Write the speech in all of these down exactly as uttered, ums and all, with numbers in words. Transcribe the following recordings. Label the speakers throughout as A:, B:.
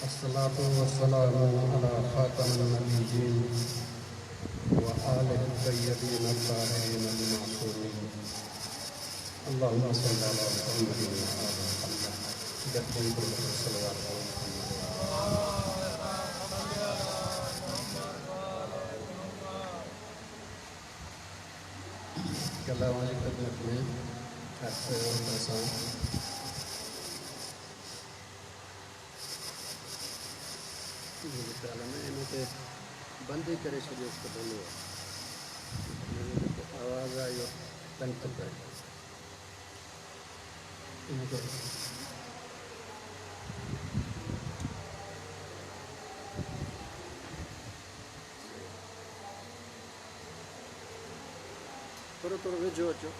A: الصلاة والسلام على خاتم النبيين وآله الطيبين الطاهرين المعصومين. اللهم صل على محمد وآل محمد. گڏجي صلوات على محمد. ڪلهه اوهان جي خدمت ۾ عرض ڪيو ته اسان منهنجي خيال ۾ ان کي بند ئي ڪري ڇڏيوس ته ڀلو آهي. هن جو جيڪو آواز آهي اهو تنگ ٿو ڪري. ان کي ٿورو ٿورو ويجهو اچو.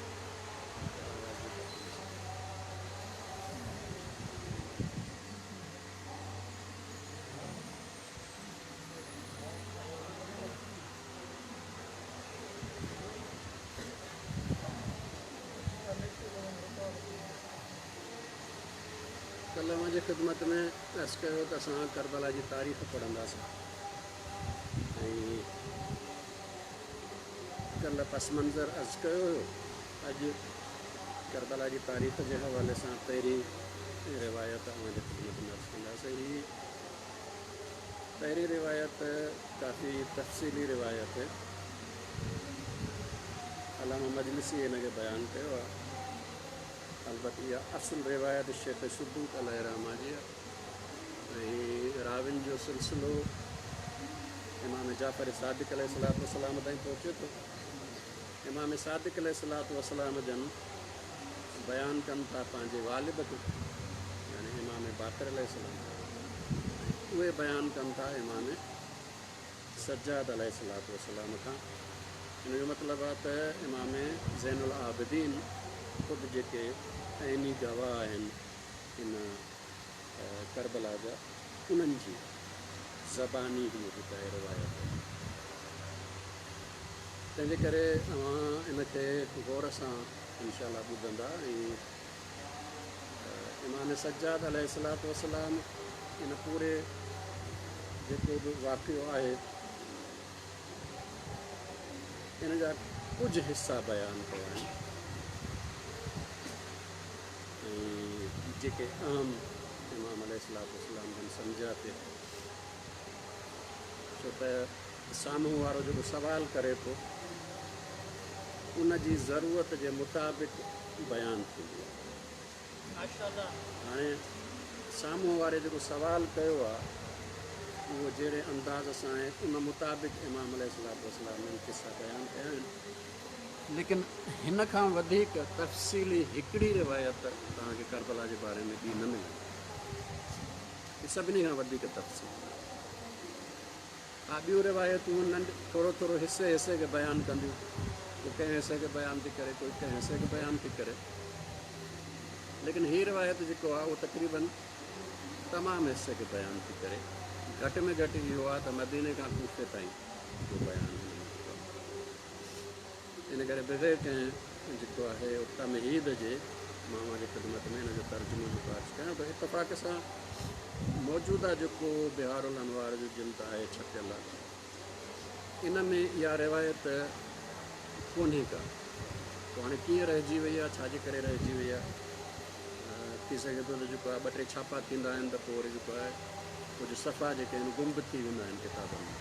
A: ڪلهه اوهان جي خدمت ۾ عرض ڪيو ته اسان ڪربلا جي تاريخ پڙهنداسين ۽ ڪلهه پس منظر عرض ڪيو هيو. اڄ ڪربلا جي تاريخ جي حوالي سان پهرين روايت اوهان جي خدمت ۾ عرض ڪنداسين. هي پهرين روايت ڪافي تفصيلي روايت آهي. علامه مجلسي هن کي بيان ڪيو آهي. البت اها اصل روايت شيخ صدوق عليه الرحمه جي آهي ۽ راوين جو سلسلو امام جعفر صادق عليه الصلوة والسلام تائين پهچي ٿو. امام صادق عليه الصلوة والسلام جن بيان ڪن ٿا پنهنجي والد کي، يعني امام باقر عليه السلام، اهي بيان ڪن ٿا امام سجاد عليه الصلوة والسلام کان. ان جو مطلب آهي ته امام زين العابدين خود جيڪي عيني گواهه آهن ان ڪربلا جا، انهن جي زباني هيء جيڪا روايت آهي. تنهنجي ڪري اوهان ان کي غور سان انشاء الله ٻڌندا. ۽ امام سجاد عليه الصلوة والسلام ان پوري جيڪو به واقعو آهي ان جا ڪجهه حصا بيان ڪيا آهن ۽ جيڪي اهم امام عليه الصلوة والسلام جن سمجهيا ٿي، ڇو ته سامهون وارو جيڪو سوال ڪري ٿو ان جي ضرورت جي مطابق بيان ٿيندو آهي. هاڻي سامهون واري جيڪو سوال ڪيو آهي اهو جهڙي انداز سان آهي ان مطابق امام عليه الصلوة والسلام جن قصا بيان ڪيا آهن. ليڪن هن کان وڌيڪ تفصيلي هڪڙي روايت توهان کي ڪربلا جي باري ۾ ٻي نه ملندي. هي سڀني کان وڌيڪ تفصيل. ها، ٻيون روايتون ننڍ ٿورو ٿورو حصي حصي کي بيان ڪنديون. ڪو ڪنهن حصي کي بيان ٿي ڪري، ڪوئي ڪنهن حصي کي بيان ٿي ڪري، ليڪن هي روايت جيڪو آهي اهو تقريبن تمام حصي کي بيان ٿي ڪري. گهٽ ۾ گهٽ اهو آهي ته مديني کان ڪوفي تائين جو بيان هن ۾ جيڪو آهي. ان ڪري بغير ڪنهن جيڪو آهي تمهيد جي مان اوهان جي خدمت ۾ هن جو ترجمو جيڪو عرض ڪيان ٿو. اتفاق سان موجوده جيڪو بهار الانوار جو جلد آهي ڇپيل آهي، ان ۾ اها روايت ڪونهي ڪا. پوء هاڻي ڪيئن رهجي وئي آهي، ڇا جي ڪري رهجي وئي آهي؟ ٿي سگهي ٿو ته جيڪو آهي ٻه ٽي ڇاپا ٿيندا آهن ته پوء وري جيڪو آهي ڪجهه صفحا جيڪي آهن گم به ٿي ويندا آهن ڪتابن ۾.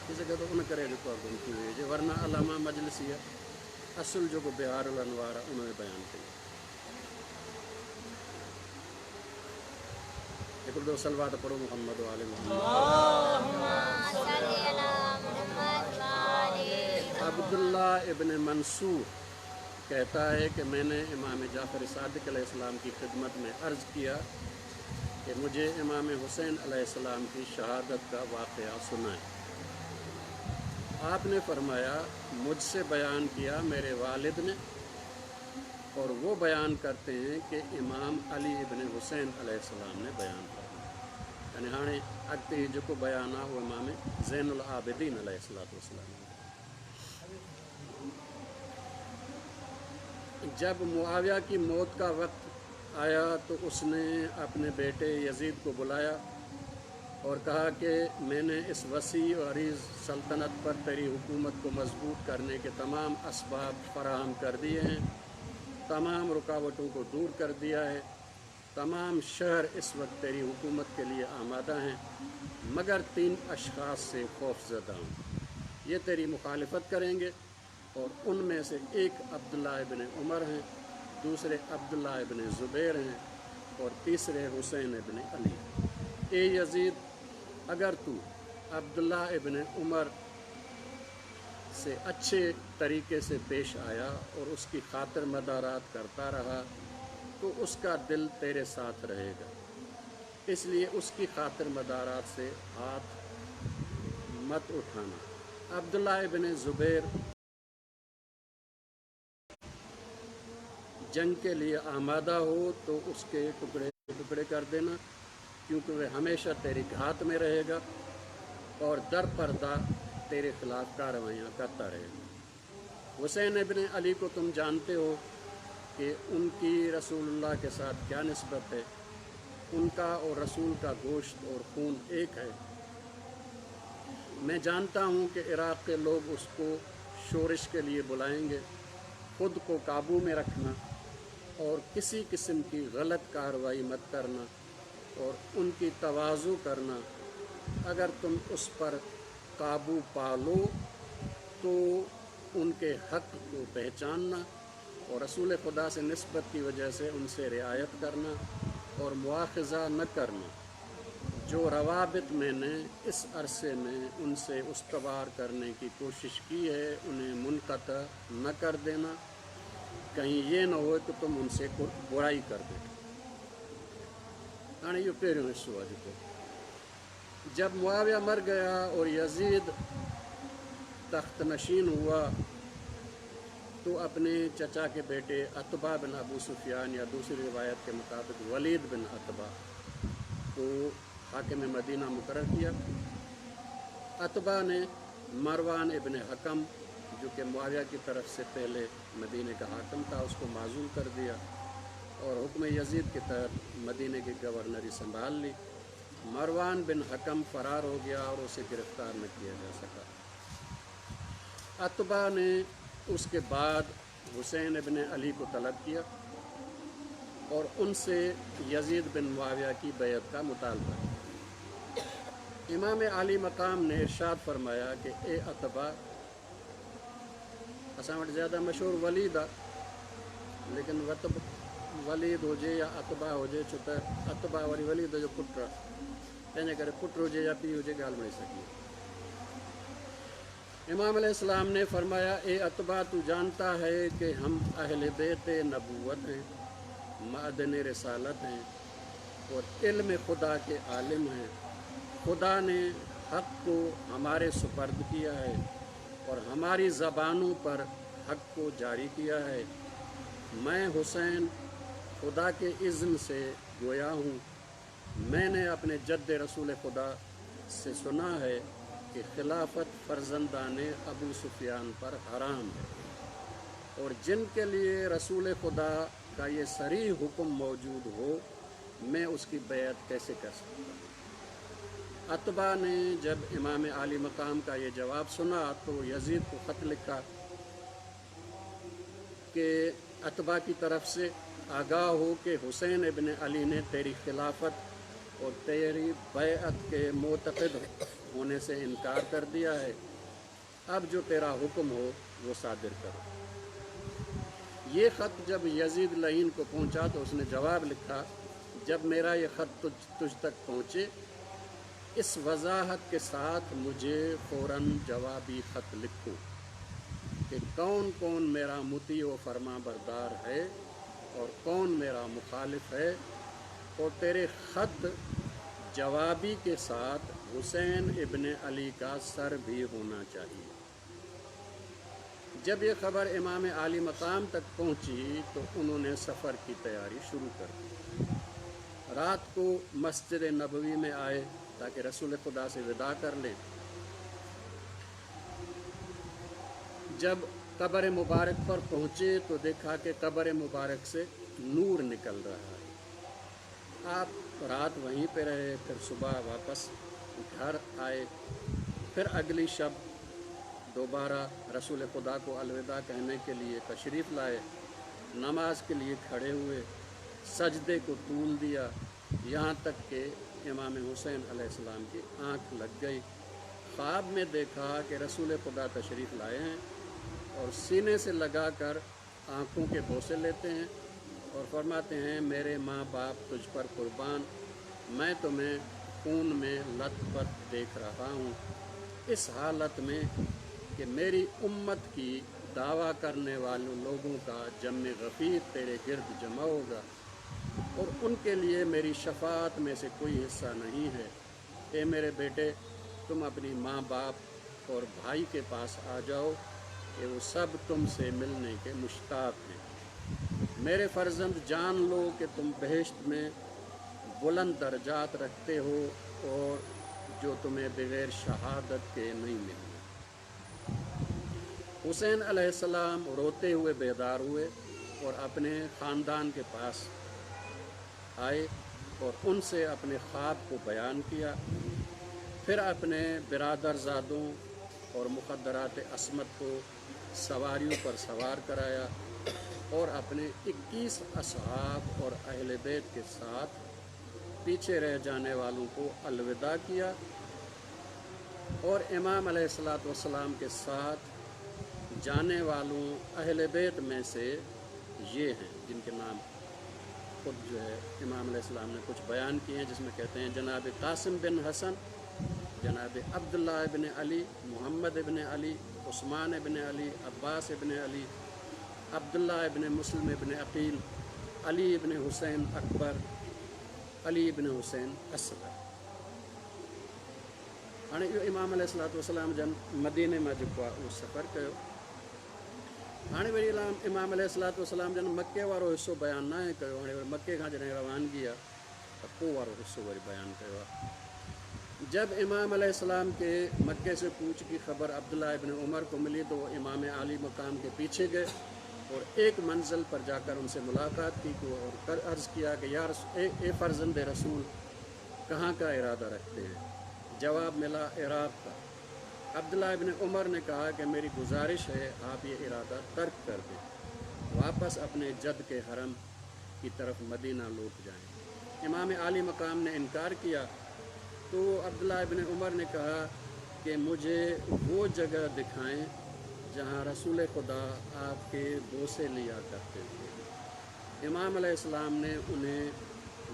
A: ٿي سگهي ٿو ان ڪري جيڪو آهي گم ٿي وئي هجي، ورنه علامه مجلسيء اصل جيڪو بهار الانوار آهي ان ۾ بيان ڪئي آهي. هڪڙو دفعو صلوات پڙهو محمد و آل محمد. عبدالله ابن منصور کهتا هي ڪه مين ني امام جعفر صادق عليه السلام ڪي خدمت ۾ عرض ڪيا ڪه مجهي امام حسين عليه السلام ڪي شهادت ڪا واقعه سنائين. آپ ني فرمايا مجھ سي بيان ڪيا ميري والد ني اور وہ بيان ڪرتي هين ڪه امام علي ابن حسين عليه السلام ني بيان فرمايا. يعني هاڻي اڳتي هي جيڪو بيان آهي اهو امام زين العابدين عليه الصلوة والسلام جو. جب معاويه ڪي موت ڪا وقت آيا تو اس ني اپني بيٽي يزيد ڪو بلايا और कहा कि मैंने इस वसी और अरीज़ सल्तनत पर तेरी हुकूमत को मजबूत करने के तमाम असबाब फराहम कर दिए हैं, तमाम रुकावटों को दूर कर दिया है, तमाम शहर इस वक्त तेरी हुकूमत के लिए आमादा हैं, मगर तीन अशख़ास से खौफज़दा हूँ, ये तेरी मुखालिफत करेंगे और उनमें से एक अब्दुल्ला इब्न उमर हैं, दूसरे अब्दुल्ला इब्न ज़ुबैर हैं और तीसरे हुसैन इब्न अली। ए यज़ीद, अगर तू अब्दुल्ला इब्न उमर से अच्छे तरीके से पेश आया और उसकी खातिर मदारात करता रहा तो उसका दिल तेरे साथ रहेगा, इसलिए उसकी खातिर मदारात से हाथ मत उठाना। अब्दुल्ला इब्न ज़ुबैर जंग के लिए आमादा हो तो उसके टुकड़े टुकड़े कर देना, क्योंकि वह हमेशा तेरी घात में रहेगा और दर पर्दा तेरे ख़िलाफ़ कार्रवाइयाँ करता रहेगा। हुसैन इब्न अली को तुम जानते हो कि उनकी रसूलुल्लाह के साथ क्या निस्बत है, उनका और रसूल का गोश्त और खून एक है। मैं जानता हूँ कि इराक़ के लोग उसको शोरिश के लिए बुलाएंगे, ख़ुद को काबू में रखना और किसी किस्म की गलत कार्रवाई मत करना और उनकी तवाज़ु करना। अगर तुम उस पर काबू पा लो तो उनके हक़ को पहचानना और रसूल खुदा से निस्बत की वजह से उनसे रिआयत करना और मुआखज़ा न करना। जो रवाबित मैंने इस अरसे में उनसे उस्तवार करने की कोशिश की है उन्हें मुनक़ता न कर देना, कहीं ये न हो कि तुम उनसे बुराई कर बैठो। हाणे इहो पहिरियों हिसो आहे जेको जब मुआविया मर गया और यज़ीद तख्त नशीन हुआ तो अपने चचा के बेटे अतबा बिन अबू सुफियान या दूसरी रिवायत के मुताबिक वलीद बिन अतबा को हाकिम मदीना मुकर्रर किया। अतबा ने मरवान इब्न हकम, जो कि मुआविया की तरफ से पहले मदीने का हाकिम था, उसको माजूल कर दिया और हुक्म यज़ीद के तहत मदीने की गवर्नरी संभाल ली। मरवान बिन हकम फ़रार हो गया और उसे गिरफ़्तार न किया जा सका। अतबा ने उसके बाद हुसैन इब्न अली को तलब किया और उनसे यज़ीद बिन मुआविया की बैअत का मुतालबा किया। इमाम आली मकाम ने इरशाद फरमाया कि ए अतबा, असां वटि ज़्यादा मशहूर वलीद आहे, लेकिन वतब वलीद हुजे या अतबा हुजे, छो त अतबा वरी वलीद जो पुटु आहे, तंहिंजे करे पुटु हुजे या पीउ हुजे ॻाल्हि मिली सघी। इमाम अलैहिस्सलाम ने फरमाया, ए अतबा, तू जानता है कि हम अहल बैत नबूवत हैं, मादन रिसालत हैं और इल्म खुदा के आलिम हैं। खुदा ने हक़ को हमारे सुपर्द किया है और हमारी ज़बानों पर हक़ को जारी किया है। मैं हुसैन खुदा के इज़्न से गोया हूँ, मैंने अपने जद्द रसूल खुदा से सुना है कि खिलाफत फ़र्जंदान अबू सुफियान पर हराम है और जिनके लिए रसूल खुदा का ये सरी हुक्म मौजूद हो, मैं उसकी बैअत कैसे कर सकता हूँ। अतबा ने जब इमाम आली मकाम का ये जवाब सुना तो यज़ीद को ख़त लिखा कि अतबा की तरफ से आगाह हो कि हुसैन इब्न अली ने तेरी खिलाफत और तेरी बैअत के मोतक़िद होने से इनकार कर दिया है, अब जो तेरा हुक्म हो वो सादिर करो। ये ख़त जब यज़ीद लहीन को पहुँचा तो उसने जवाब लिखा, जब मेरा ये ख़त तुझ तुझ तक पहुँचे इस वजाहत के साथ मुझे फ़ौरन जवाबी ख़त लिखो कि कौन कौन मेरा मुती व फरमा बरदार है और कौन मेरा मुखालिफ है, और तेरे ख़त जवाबी के साथ हुसैन इब्न अली का सर भी होना चाहिए। जब ये ख़बर इमाम आली मकाम तक पहुँची तो उन्होंने सफ़र की तैयारी शुरू कर दी। रात को मस्जिद नबवी में आए ताकि रसूल खुदा से विदा कर लें। जब कब्र मुबारक पर पहुँचे तो देखा कि कब्र मुबारक से नूर निकल रहा है। आप रात वहीं पे रहे, फिर सुबह वापस घर आए। फिर अगली शब दोबारा रसूल खुदा को अलविदा कहने के लिए तशरीफ़ लाए, नमाज के लिए खड़े हुए, सजदे को तूल दिया, यहाँ तक कि इमाम हुसैन अलैहिस्सलाम की आँख लग गई। ख्वाब में देखा कि रसूल खुदा तशरीफ़ लाए हैं और सीने से लगा कर आँखों के बोसे लेते हैं और फरमाते हैं, मेरे माँ बाप तुझ पर कुर्बान, मैं तुम्हें खून में लथपथ देख रहा हूँ, इस हालत में कि मेरी उम्मत की दावा करने वालों लोगों का जम गफ़ीर तेरे गिर्द जमा होगा और उनके लिए मेरी शफाअत में से कोई हिस्सा नहीं है। ए मेरे बेटे, तुम अपनी माँ बाप और भाई के पास आ जाओ कि वो सब तुमसे मिलने के मुश्ताक हैं। मेरे फ़र्जंद, जान लो कि तुम बहिश्त में बुलंद दर्जात रखते हो और जो तुम्हें बग़ैर शहादत के नहीं मिलना। हुसैन अलैहिस्सलाम रोते हुए बेदार हुए और अपने ख़ानदान के पास आए और उनसे अपने ख्वाब को बयान किया। फिर अपने बिरादरज़ादों और मुखद्दरात अस्मत को सवारियों पर सवार कराया और अपने इक्कीस असहाब और अहल बैत के साथ पीछे रह जाने वालों को अलविदा किया और इमाम अलैहिस्सलातु वस्सलाम के साथ जाने वालों अहल बैत में से ये हैं जिनके नाम खुद जो है इमाम अलैहिस्सलाम ने कुछ बयान किए हैं, जिसमें कहते हैं जनाब कासिम बिन हसन, जनाब अब्दुल्लाह इब्न अली, मोहम्मद इब्न अली, उस्मान इब्न अली, अब्बास इब्न अली, अब्दुल्लाह इब्न मुस्लिम इब्न अकील, अली इब्न हुसैन अकबर, अली इब्न हुसैन असगर। हाणे इहो इमाम अलैहिस्सलातु वस्सलाम जन मदीने मां जेको आहे उहो सफ़र कयो। हाणे वरी इमाम अलैहिस्सलातु वस्सलाम जन मक्के वारो हिसो बयानु न आहे कयो। हाणे वरी मक्के खां जॾहिं रवानगी आहे त पोइ वारो हिसो वरी बयानु कयो आहे। जब इमाम अलैहिस्सलाम के मक्के से कूच की ख़बर अब्दुल्लाह इब्न उमर को मिली तो वो इमाम आली मकाम के पीछे गए और एक मंजिल पर जाकर उनसे मुलाकात की और कर अर्ज़ किया कि यार ए, ए फ़र्जंद रसूल, कहाँ का इरादा रखते हैं? जवाब मिला इराक़ का। अब्दुल्लाह इब्न उमर ने कहा कि मेरी गुजारिश है आप ये इरादा तर्क कर दें, वापस अपने जद के हरम की तरफ मदीना लौट जाएं। इमाम आली मकाम ने इनकार किया तो अब्दुल्लाह इब्न उमर ने कहा कि मुझे वो जगह दिखाएं जहां रसूल खुदा आपके बोसे लिया करते थे। इमाम अलैहिस्सलाम ने उन्हें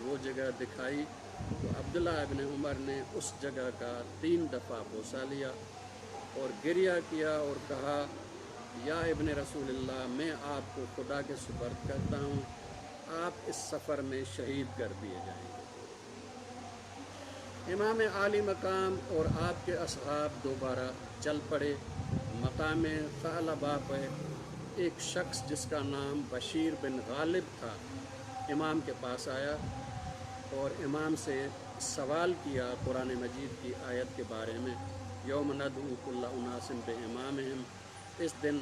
A: वो जगह दिखाई तो अब्दुल्लाह इब्न उमर ने उस जगह का तीन दफ़ा बोसा लिया और गिरिया किया और कहा, या इब्न रसूलुल्लाह, मैं आपको खुदा के सुपर्द करता हूँ, आप इस सफ़र में शहीद कर दिए जाएंगे। इमाम आली मकाम और आपके असहाब दोबारा चल पड़े। मकाम फ़अलबा पर एक शख्स जिसका नाम बशीर बिन गालिब था इमाम के पास आया और इमाम से सवाल किया कुरान मजीद की आयत के बारे में, यौम नदऊ कुल्ला उनासिन बे इमामिहिम, इस दिन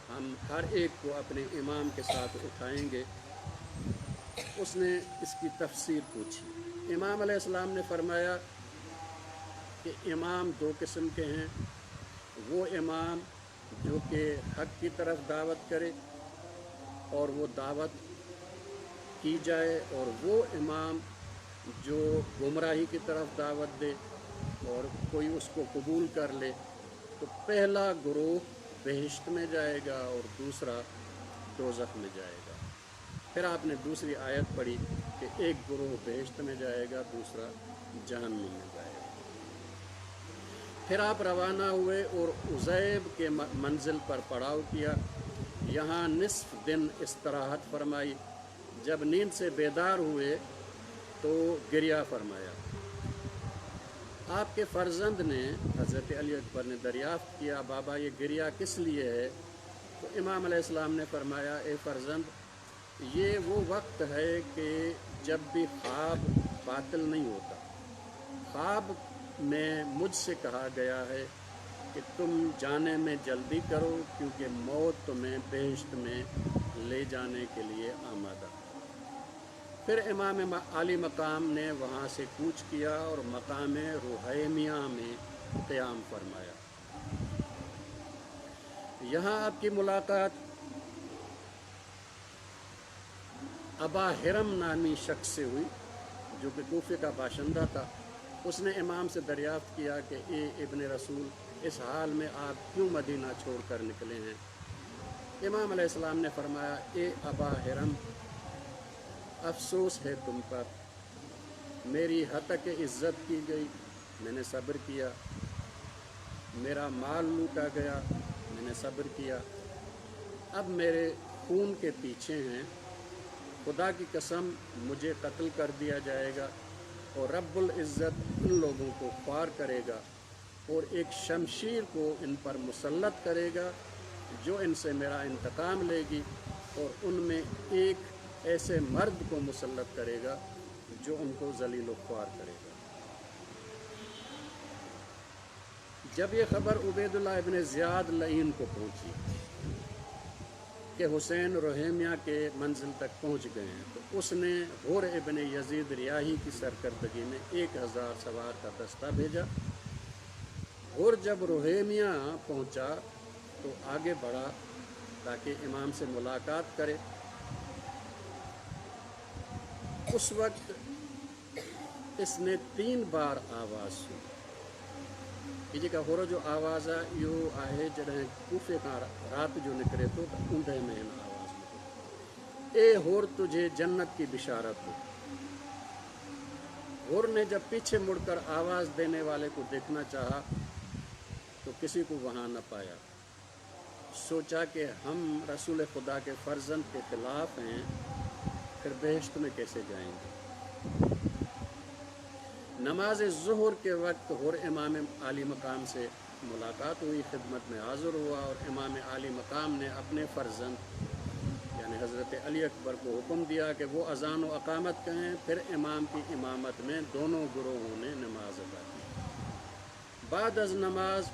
A: हम हर एक को अपने इमाम के साथ उठाएंगे। उसने इसकी तफसीर पूछी। इमाम अलैहिस्सलाम ने फरमाया कि इमाम दो किस्म के हैं, वो इमाम जो कि हक़ की तरफ दावत करे और वो दावत की जाए, और वो इमाम जो गुमराही की तरफ दावत दे और कोई उसको कबूल कर ले। तो पहला ग्रोह बहिश्त में जाएगा और दूसरा दोज़ख में जाएगा। फिर आपने दूसरी आयत पढ़ी कि एक ग्रोह बहिश्त में जाएगा, दूसरा जहन्नुम में जाएगा। फिर आप रवाना हुए और उज़ैब के मंजिल पर पड़ाव किया। यहाँ निस्फ दिन इस्तराहत फरमाई। जब नींद से बेदार हुए तो गिरिया फरमाया। आपके फ़र्जंद ने हज़रत अली अकबर ने दरियाफ़्त किया, बाबा ये गिरिया किस लिए है? तो इमाम अलैहिस्सलाम ने फरमाया, ए फ़र्जंद, ये वो वक्त है कि जब भी ख्वाब बातिल नहीं होता। ख्वाब में मुझसे कहा गया है कि तुम जाने में जल्दी करो क्योंकि मौत तुम्हें बहिश्त में ले जाने के लिए आमादा। फिर इमाम आली मकाम ने वहाँ से कूच किया और मकाम रुहैमिया में क़याम फरमाया। यहाँ आपकी मुलाकात अबा हिरम नामी शख्स से हुई जो कि कूफे का बाशिंदा था। उसने इमाम से दरियाफ़्त किया कि ए इब्न रसूल, इस हाल में आप क्यों मदीना छोड़ कर निकले हैं? इमाम अलैहिस्सलाम ने फरमाया, ए अबा हिरम, अफसोस है तुम पर, मेरी हतक इज़्ज़त की गई, मैंने सब्र किया, मेरा माल लूटा गया, मैंने सब्र किया, अब मेरे खून के पीछे हैं, खुदा की कसम मुझे कत्ल कर दिया जाएगा और रब्बुल इज़्ज़त उन लोगों को ख्वार करेगा और एक शमशीर को इन पर मुसल्लत करेगा जो इनसे मेरा इंतकाम लेगी और उनमें एक ऐसे मर्द को मुसल्लत करेगा जो उनको जलील व ख्वार करेगा। जब ये ख़बर उबैदुल्लाह इब्न ज़ियाद लईन को पहुँची कि हुसैन रोहेमिया के मंजिल तक पहुँच गए हैं, तो उसने हुर इब्न यजीद रियाही की सरकर्दगी में एक हज़ार सवार का दस्ता भेजा। हुर जब रोहेमिया पहुँचा तो आगे बढ़ा ताकि इमाम से मुलाकात करे। उस वक्त इसने तीन बार आवाज़ सुनी। ही जेका हुर जो आवाज़ आहे इहो आहे जॾहिं कूफे खां राति जो निकिरे थो त ऊंदह में हिन आवाज़ निकिरे, ए हुर तुझे जन्नत की बिशारत हो। हुर ने जब पीछे मुड़कर आवाज़ देने वाले को देखना चाहा तो किसी को वहाँ न पाया। सोचा कि हम रसूल खुदा के फ़र्जंद के ख़िलाफ़ हैं, फिर बहिश्त में कैसे जाएंगे। नमाज ज़ुहर के वक्त हुर इमाम आली मकाम से मुलाकात हुई, खिदमत में हाज़िर हुआ और इमाम आली मकाम ने अपने फ़र्जंद यानी हज़रत अली अकबर को हुक्म दिया कि वो अज़ान व अकामत कहें। फिर इमाम की इमामत में दोनों गुरोहों ने नमाज अदा की। बाद अज़ नमाज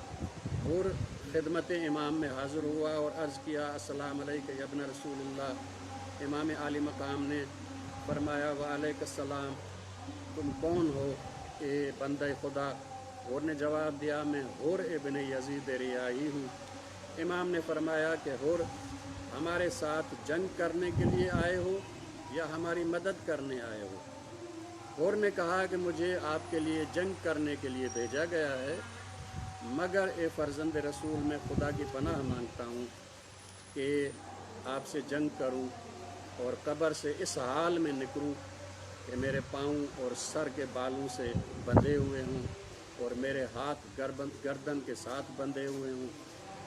A: हुर खिदमत इमाम में हाज़िर हुआ और अर्ज़ किया, अस्सलाम अलैका या इब्न रसूलुल्लाह। इमाम आली मकाम ने फरमाया, वालेकुम, तुम कौन हो ए बंदे खुदा? हुर ने जवाब दिया, मैं हुर इब्न यजीद रियाही हूँ। इमाम ने फरमाया कि हुर, हमारे साथ जंग करने के लिए आए हो या हमारी मदद करने आए हो? हुर ने कहा कि मुझे आपके लिए जंग करने के लिए भेजा गया है, मगर ए फ़र्जंद रसूल, मैं खुदा की पनाह मांगता हूँ कि आपसे जंग करूँ और कब्र से इस हाल में निकलूँ कि मेरे पाँव और सर के बालों से बंधे हुए हों और मेरे हाथ गर्दन गर्दन के साथ बंधे हुए हों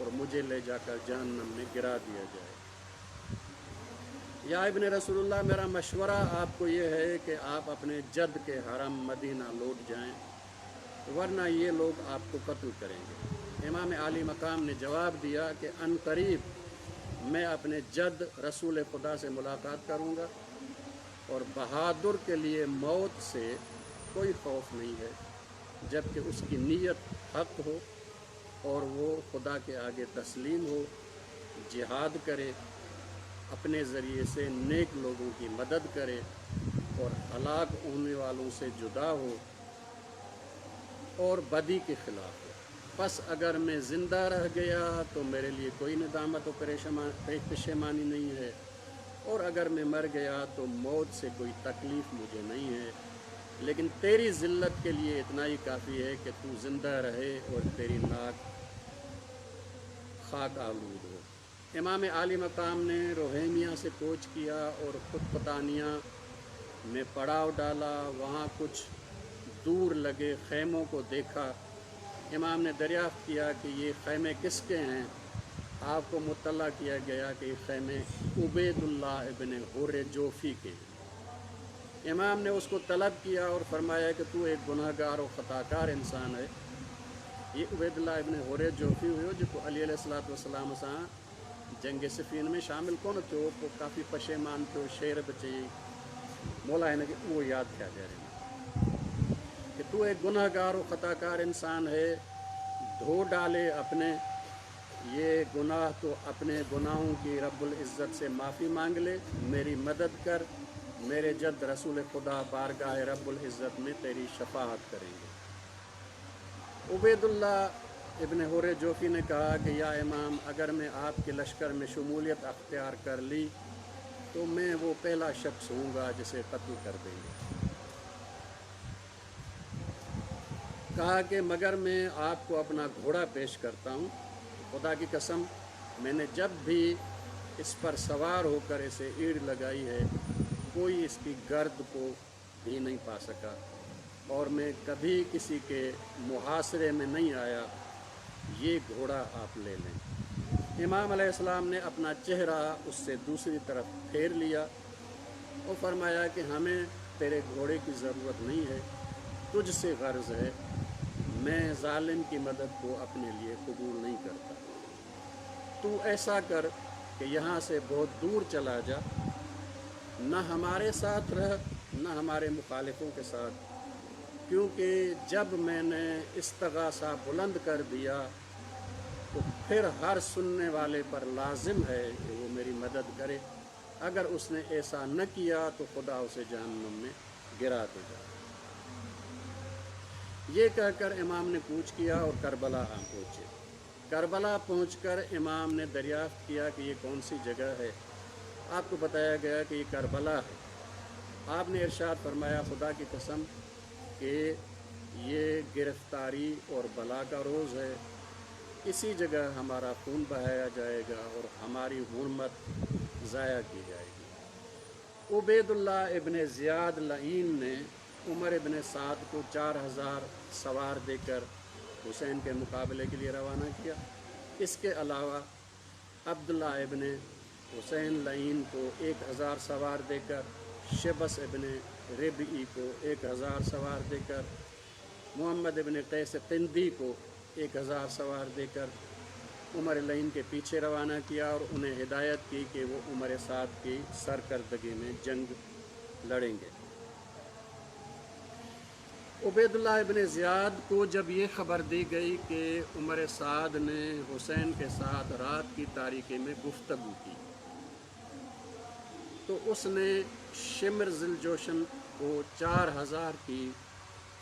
A: और मुझे ले जाकर जहन्नम में गिरा दिया जाए। या इब्न रसूलुल्लाह, मेरा मशवरा आपको ये है कि आप अपने जद के हरम मदीना लौट जाएं, वरना ये लोग आपको कत्ल करेंगे। इमाम आली मकाम ने जवाब दिया कि अनकरीब मैं अपने जद रसूल खुदा से मुलाकात करूँगा और बहादुर के लिए मौत से कोई खौफ नहीं है, जबकि उसकी नीयत हक हो और वो खुदा के आगे तस्लीम हो, जिहाद करे, अपने ज़रिए से नेक लोगों की मदद करे और हलाक होने वालों से जुदा हो और बदी के ख़िलाफ़ हो। बस अगर मैं ज़िंदा रह गया तो मेरे लिए कोई नदामत और पेशेमानी नहीं है, और अगर मैं मर गया तो मौत से कोई तकलीफ़ मुझे नहीं है, लेकिन तेरी ज़िल्लत के लिए इतना ही काफ़ी है कि तू ज़िंदा रहे और तेरी नाक खाक आलूद हो। इमाम आली मकाम ने रोहेमिया से कोच किया और ख़ुद पतानिया में पड़ाव डाला। वहाँ कुछ दूर लगे ख़ैमों को देखा। इमाम ने दरियाफ़्त किया कि ये ख़ैमे किसके हैं। आपको मुत्तला किया गया कि ये ख़ैमे उबैदुल्लाह इब्न हुर जोफ़ी के हैं। इमाम ने उसको तलब किया और फरमाया कि तू एक गुनाहगार और ख़ताकार इंसान है। ये उबैदुल्लाह इब्न हुर जोफ़ी हुयो जेको अली अलैहिस्सलातु वस्सलाम सां जंग सिफ़ीन में शामिल कोन थियो, पोइ काफ़ी पशेमान थियो, शेर बि चई मौला हिन खे उहो यादि थिया ॾियारे कि तू एक गुनाहगार और ख़ताकार इंसान है, धो डाले अपने ये गुनाह तो अपने गुनाहों की रब्बुल इज़्ज़त से माफ़ी मांग ले, मेरी मदद कर, मेरे जद रसूल खुदा बारगाह रब्बुल इज़्ज़त में तेरी शफाअत करेंगे। उबैदुल्लाह इब्न हुर्र जोफ़ी ने कहा कि या इमाम, अगर मैं आपके लश्कर में शमूलियत अख्तियार कर ली तो मैं वो पहला शख्स हूँगा जिसे कत्ल कर देंगे। कहा कि मगर मैं आपको अपना घोड़ा पेश करता हूँ, खुदा की कसम मैंने जब भी इस पर सवार होकर इसे ईड़ लगाई है कोई इसकी गर्द को भी नहीं पा सका और मैं कभी किसी के मुहासरे में नहीं आया, ये घोड़ा आप ले लें। इमाम अलैहिस्सलाम ने अपना चेहरा उससे दूसरी तरफ फेर लिया और फरमाया कि हमें तेरे घोड़े की ज़रूरत नहीं है, तुझसे गर्ज़ है, मैं ज़ालिम की मदद को अपने लिए कबूल नहीं करता। तू ऐसा कर कि यहाँ से बहुत दूर चला जा, न हमारे साथ रह न हमारे मुखालिफों के साथ, क्योंकि जब मैंने इस्तगासा बुलंद कर दिया तो फिर हर सुनने वाले पर लाजिम है कि वो मेरी मदद करे, अगर उसने ऐसा न किया तो खुदा उसे जहन्नुम में गिरा देगा। ये कहकर इमाम ने कूच किया और करबला आ पहुँचे। करबला पहुँचकर इमाम ने दरियाफ़्त किया कि ये कौन सी जगह है। आपको बताया गया कि ये करबला है। आपने इरशाद फरमाया, खुदा की कसम कि ये गिरफ्तारी और बला का रोज़ है, इसी जगह हमारा खून बहाया जाएगा और हमारी हुर्मत ज़ाया की जाएगी। उबैदुल्लाह इब्न ज़ियाद लईन ने उमर इब्न साद को चार हज़ार सवार देकर हुसैन के मुकाबले के लिए रवाना किया। इसके अलावा अब्दुल्ला इब्न हुसैन लईन को एक हज़ार सवार देकर, शबस इब्न रिबई को एक हज़ार सवार देकर, मोहम्मद इब्न कैस किंदी को एक हज़ार सवार देकर उमर लईन के पीछे रवाना किया और उन्हें हिदायत की कि वो उमर साद की सरकर्दगी में जंग लड़ेंगे। उबैदुल्लाह इब्न ज़ियाद को जब ये ख़बर दी गई कि उमर साद ने हुसैन के साथ रात की तारीकी में गुफ्तगू की, तो उसने शिमर ज़िलजोशन को चार हज़ार की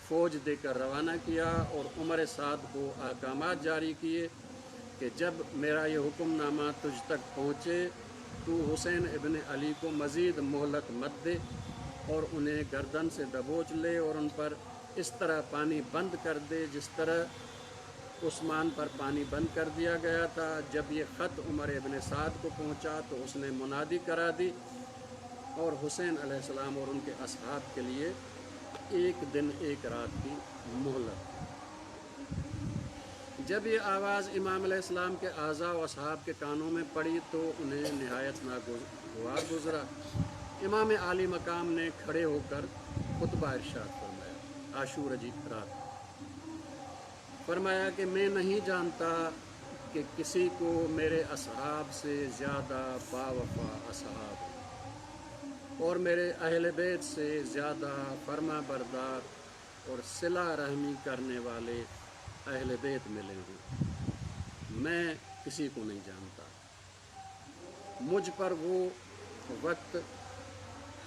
A: फ़ौज देकर रवाना किया और उमर साद को अहकामात जारी किए कि जब मेरा ये हुक्मनामा तुझ तक पहुँचे तो हुसैन इब्न अली को मज़ीद मोहलत मत दे और उन्हें गर्दन से दबोच ले और उन पर इस तरह पानी बंद कर दे जिस तरह उस्मान पर पानी बंद कर दिया गया था। जब ये ख़त उमर इब्न साद को पहुँचा तो उसने मुनादी करा दी और हुसैन अलैहिस्सलाम और उनके असहाब के लिए एक दिन एक रात की मोहलत। जब ये आवाज़ इमाम अलैहिस्सलाम के आज़ा व असहाब के कानों में पड़ी तो उन्हें नहायत नागवार गुज़रा। इमाम आली मकाम ने खड़े होकर खुतबा इरशाद फरमाया। आशूर जी रात फरमाया कि मैं नहीं जानता कि किसी को मेरे असहाब से ज़्यादा बावफा असहाब और मेरे अहल बैत से ज़्यादा फर्मा बरदार और सिला रहमी करने वाले अहल बैत मिले हों। मैं किसी को नहीं जानता। मुझ पर वो वक्त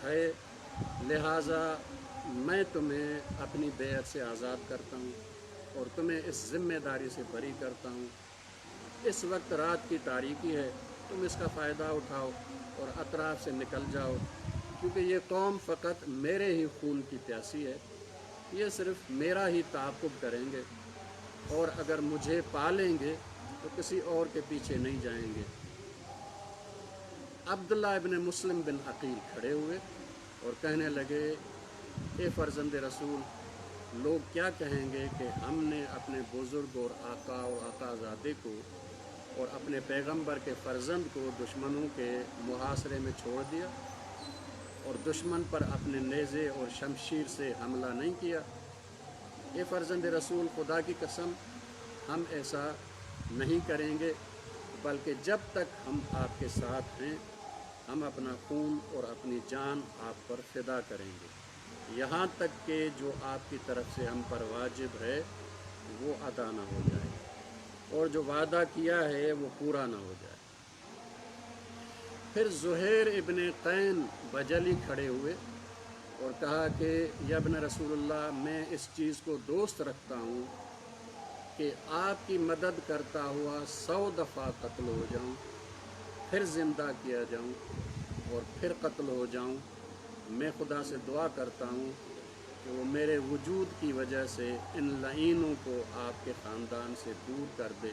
A: है, लिहाजा मैं तुम्हें अपनी बैत से आज़ाद करता हूँ और तुम्हें इस ज़िम्मेदारी से बरी करता हूँ। इस वक्त रात की तारीकी है, तुम इसका फ़ायदा उठाओ और अतराफ़ से निकल जाओ, क्योंकि ये कौम फ़कत मेरे ही खून की प्यासी है। ये सिर्फ़ मेरा ही ताक़ुब करेंगे और अगर मुझे पालेंगे तो किसी और के पीछे नहीं जाएंगे। अब्दुल्ला इब्न मुस्लिम बिन अकील खड़े हुए और कहने लगे, ए फ़र्जंद रसूल, लोग क्या कहेंगे कि हमने अपने बुज़ुर्ग और आका और आकाज़ादे को और अपने पैगंबर के फ़र्जंद को दुश्मनों के मुहासरे में छोड़ दिया और दुश्मन पर अपने नेज़े और शमशीर से हमला नहीं किया। ए फ़र्जंद रसूल, खुदा की कसम हम ऐसा नहीं करेंगे, बल्कि जब तक हम आपके साथ हैं हम अपना खून और अपनी जान आप पर फ़िदा करेंगे, यहाँ तक कि जो आपकी तरफ से हम पर वाजिब है वो अदा ना हो जाए और जो वादा किया है वो पूरा ना हो जाए। फिर ज़ुहैर इब्न can बजली खड़े हुए और कहा कि यब्न रसूलुल्लाह, मैं इस चीज़ को दोस्त रखता हूँ कि आपकी मदद करता हुआ सौ दफ़ा कत्ल हो जाऊँ, फिर ज़िंदा किया जाऊँ और फिर कत्ल हो जाऊँ। मैं खुदा से दुआ करता हूँ कि वो मेरे वजूद की वजह से इन लईनों को आपके ख़ानदान से दूर कर दे।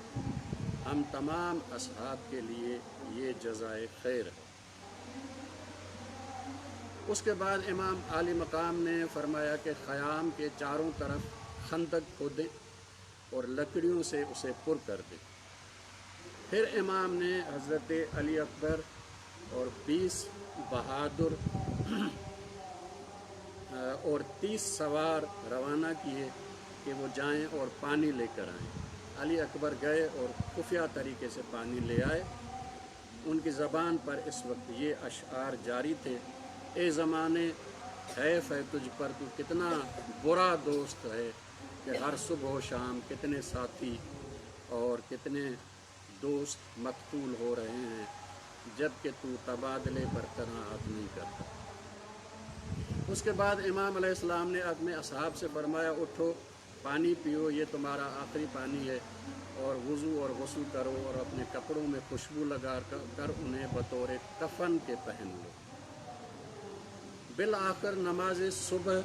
A: हम तमाम असहाब के लिए ये जज़ाए खैर है। उसके बाद इमाम आली मकाम ने फरमाया कि ख़याम के चारों तरफ खंदक खोदें और लकड़ियों से उसे पुर कर दें। फिर इमाम ने हज़रत अली अकबर और बीस बहादुर और तीस सवार रवाना किए कि वो जाएं और पानी लेकर आएं। अली अकबर गए और खुफिया तरीके से पानी ले आए। उनकी ज़बान पर इस वक्त ये अशआर जारी थे, ए ज़माने हैफ है तुझ पर, तू कितना बुरा दोस्त है कि हर सुबह शाम कितने साथी और कितने दोस्त मकतूल हो रहे हैं, जबकि तू तबादले पर कनाअत नहीं करता। उसके बाद इमाम अलैहिस्सलाम ने अपने असहाब से फरमाया, उठो, पानी पियो, ये तुम्हारा आखिरी पानी है, और वज़ू और गुस्ल करो और अपने कपड़ों में खुशबू लगा कर उन्हें बतौर कफन के पहन लो। बिल आखिर नमाज सुबह,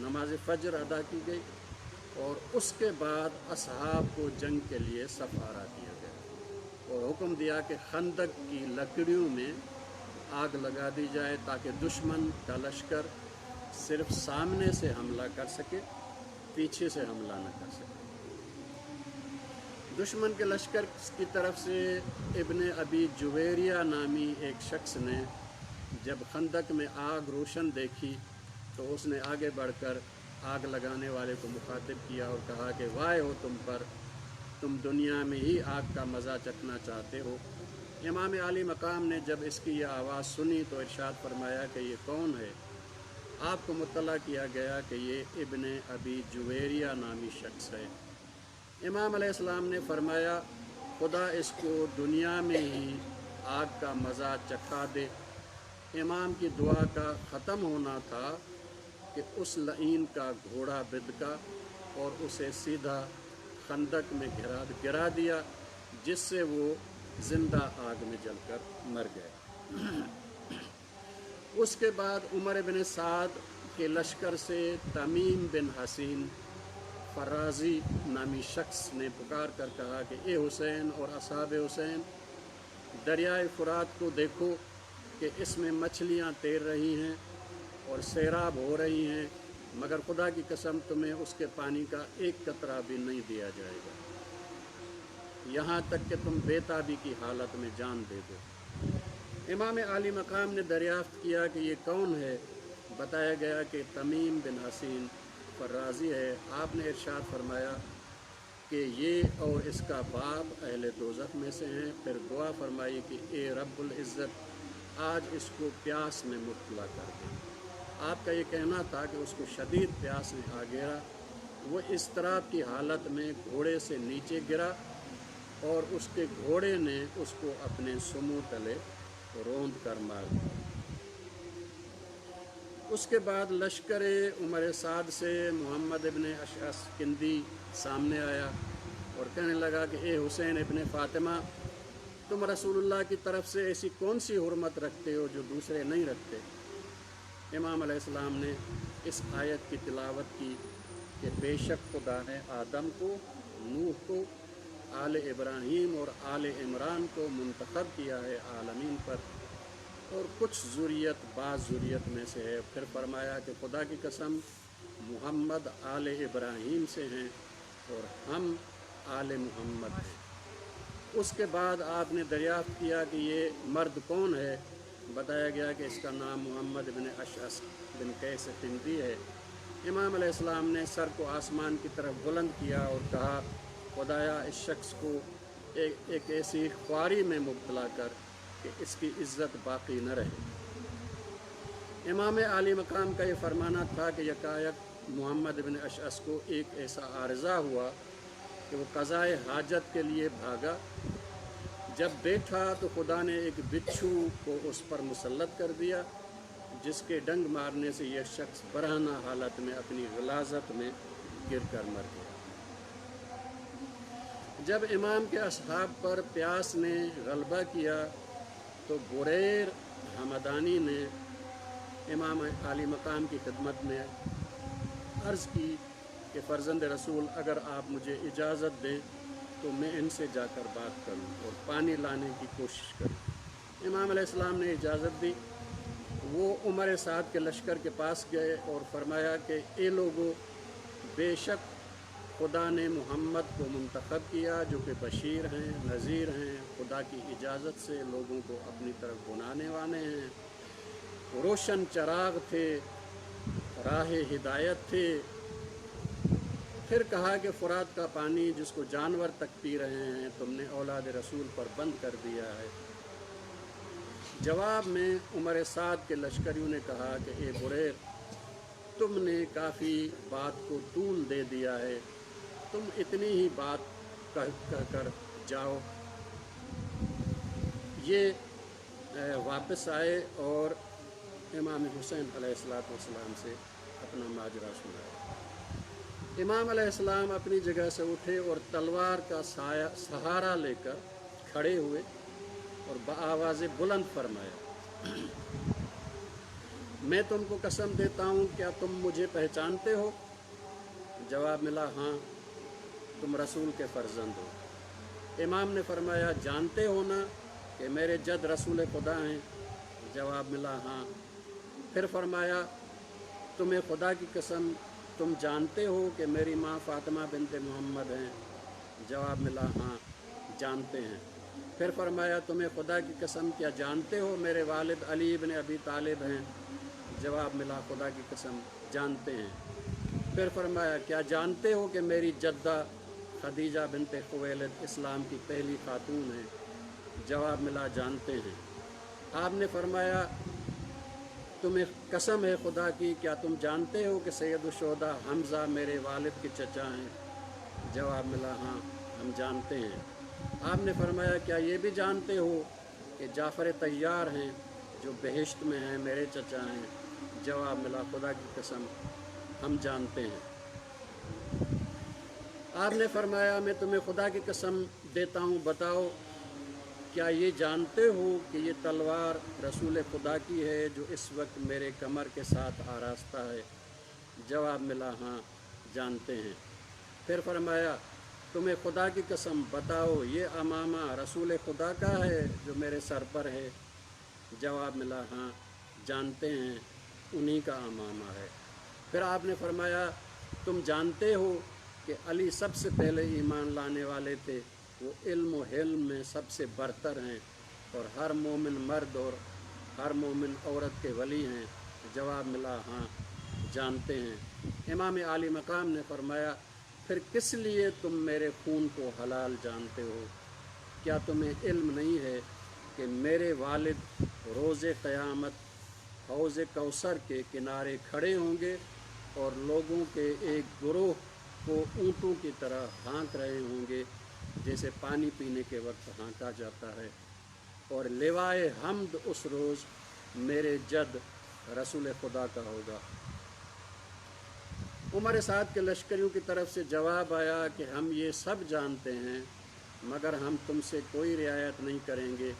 A: नमाज फजर अदा की गई और उसके बाद असहाब को जंग के लिए सफारा दिया गया और हुक्म दिया कि खंदक की लकड़ियों में आग लगा दी जाए ताकि दुश्मन का लश्कर सिर्फ सामने से हमला कर सके, पीछे से हमला न कर सके। दुश्मन के लश्कर की तरफ से इब्ने अबी जुवेरिया नामी एक शख्स ने जब खंदक में आग रोशन देखी तो उसने आगे बढ़कर आग लगाने वाले को मुखातिब किया और कहा कि वाय हो तुम पर, तुम दुनिया में ही आग का मज़ा चखना चाहते हो। इमाम आली मकाम ने जब इसकी यह आवाज़ सुनी तो इरशाद फरमाया कि ये कौन है? आपको मुत्तला किया गया कि ये इब्ने अबी जुवेरिया नामी शख्स है। इमाम अलैहिस्सलाम ने फरमाया, खुदा इसको दुनिया में ही आग का मज़ा चखा दे। इमाम की दुआ का ख़त्म होना था कि उस लईन का घोड़ा बिदका और उसे सीधा खंदक में गिरा गिरा दिया, जिससे वो जिंदा आग में जलकर मर गए। उसके बाद उमर बिन साद के लश्कर से तमीम बिन हसीन फराजी नामी शख्स ने पुकार कर कहा कि ए हुसैन और असहाब हुसैन, दरियाए फ़ुरात को देखो कि इसमें मछलियाँ तैर रही हैं और सैराब हो रही हैं, मगर खुदा की कसम तुम्हें उसके पानी का एक कतरा भी नहीं दिया जाएगा, यहाँ तक कि तुम बेताबी की हालत में जान दे दो। इमाम आली मकाम ने दरियाफ़्त किया कि ये कौन है। बताया गया कि तमीम बिन हसीन फर्राजी है। आपने इरशाद फरमाया कि ये और इसका बाप अहले दोज़ख में से हैं। फिर दुआ फरमाई कि ए रब्बुल इज़्ज़त, आज इसको प्यास में मुब्तला कर दे। आपका ये कहना था कि उसको शदीद प्यास ने आ गिरा, वो इज़्तिराब की हालत में घोड़े से नीचे गिरा और उसके घोड़े ने उसको अपने सुमों तले रोंद कर मार दिया। उसके बाद लश्कर उमर साद से मोहम्मद इब्न अशअस किंदी सामने आया और कहने लगा कि ए हुसैन इब्न फ़ातिमा, तुम रसूलुल्लाह की तरफ से ऐसी कौन सी हुर्मत रखते हो जो दूसरे नहीं रखते? इमाम अलैहिस्सलाम ने इस आयत की तिलावत की कि बेशक खुदा ने आदम को, नूह को, आले इब्राहीम और आले इमरान को मुंतखब किया है आलमीन पर, और कुछ ज़ुरियत बाज़ ज़ुरियत में से है। फिर फरमाया कि खुदा की कसम, मुहम्मद आले इब्राहीम से हैं और हम आले मुहम्मद हैं। उसके बाद आपने दरियाफ़्त किया कि ये मर्द कौन है। बताया गया कि इसका नाम मोहम्मद बिन अशअस बिन कैस किंदी है। इमाम अलैहिस्सलाम ने सर को आसमान की तरफ बुलंद किया और कहा, खुदाया इस शख्स को एक, एक ऐसी ख्वारी में मुब्तला कर कि इसकी इज़्ज़त बाकी न रहे। इमाम आली मकाम का ये फरमाना था कि यकायक मोहम्मद बिन अशअस को एक ऐसा आर्जा हुआ कि वो कज़ाए हाजत के लिए भागा, जब बैठा तो खुदा ने एक बिच्छू को उस पर मुसल्लत कर दिया, जिसके डंग मारने से यह शख्स बरहना हालत में अपनी गलाजत में गिर कर मर गया। जब इमाम के असहाब पर प्यास ने गलबा किया तो बुरैर हमदानी ने इमाम आली मकाम की खिदमत में अर्ज़ की कि फ़र्जंद रसूल, अगर आप मुझे इजाज़त दें तो मैं इनसे जाकर बात करूं और पानी लाने की कोशिश करूं। इमाम अलैहिस्सलाम ने इजाज़त दी। वो उमर साद के लश्कर के पास गए और फरमाया कि ए लोगों, बेशक खुदा ने मोहम्मद को मुंतखब किया जो कि बशीर हैं, नज़ीर हैं, खुदा की इजाज़त से लोगों को अपनी तरफ बुलाने वाले हैं, रोशन चराग थे, राह हिदायत थे। फिर कहा कि फ़ुरात का पानी जिसको जानवर तक पी रहे हैं तुमने औलाद रसूल पर बंद कर दिया है। जवाब में उमर साद के लश्करियों ने कहा कि ए बुरैर, तुमने काफ़ी बात को तूल दे दिया है, तुम इतनी ही बात कह कह कर जाओ। ये वापस आए और इमाम हुसैन अलैहिस्सलाम से अपना माजरा सुनाया। इमाम अलैहिस्सलाम अपनी जगह से उठे और तलवार का साया सहारा लेकर खड़े हुए और बआवाज़ बुलंद फरमाया, मैं तुमको कसम देता हूँ, क्या तुम मुझे पहचानते हो? जवाब मिला, हाँ, तुम रसूल के फ़र्जंद हो। इमाम ने फरमाया, जानते हो ना कि मेरे जद रसूल खुदा हैं? जवाब मिला, हाँ। फिर फरमाया, तुम्हें खुदा की कसम, तुम जानते हो कि मेरी माँ फ़ातिमा बिनते मोहम्मद हैं? जवाब मिला, हाँ, जानते हैं। फिर फरमाया, तुम्हें खुदा की कसम, क्या जानते हो मेरे वालिद अली इब्न अबी तालिब हैं? जवाब मिला, खुदा की कसम, जानते हैं। फिर फरमाया, क्या जानते हो कि मेरी जद्दा खदीजा बिनते खुवैलिद इस्लाम की पहली खातून हैं? जवाब मिला, जानते हैं। आपने फरमाया, तुम्हें कसम है खुदा की, क्या तुम जानते हो कि सैयद शुहदा हमज़ा मेरे वालिद के चचा हैं? जवाब मिला, हाँ, हम जानते हैं। आपने फरमाया, क्या ये भी जानते हो कि जाफ़र तैयार हैं जो बहिश्त में हैं, मेरे चचा हैं? जवाब मिला, खुदा की कसम, हम जानते हैं। आपने फरमाया, मैं तुम्हें खुदा की कसम देता हूँ, बताओ क्या ये जानते हो कि ये तलवार रसूल खुदा की है जो इस वक्त मेरे कमर के साथ आरास्ता है? जवाब मिला, हाँ, जानते हैं। फिर फरमाया, तुम्हें खुदा की कसम, बताओ ये अमामा रसूल खुदा का है जो मेरे सर पर है? जवाब मिला, हाँ, जानते हैं, उन्हीं का अमामा है। फिर आपने फरमाया, तुम जानते हो कि अली सबसे पहले ईमान लाने वाले थे, वो इल्म व हिल्म में सबसे बरतर हैं और हर मोमिन मर्द और हर मोमिन औरत के वली हैं? जवाब मिला, हाँ, जानते हैं। इमाम आली मकाम ने फरमाया, फिर किस लिए तुम मेरे खून को हलाल जानते हो? क्या तुम्हें इल्म नहीं है कि मेरे वालिद रोज़ क़यामत हौज़ कौसर के किनारे खड़े होंगे और लोगों के एक गिरोह को ऊँटों की तरह हाँक रहे होंगे, जैसे पानी पीने के वक्त हाँका जाता है, और लिवाए हमद उस रोज़ मेरे जद रसूल खुदा का होगा। उमर साद के लश्करियों की तरफ से जवाब आया कि हम ये सब जानते हैं, मगर हम तुमसे कोई रियायत नहीं करेंगे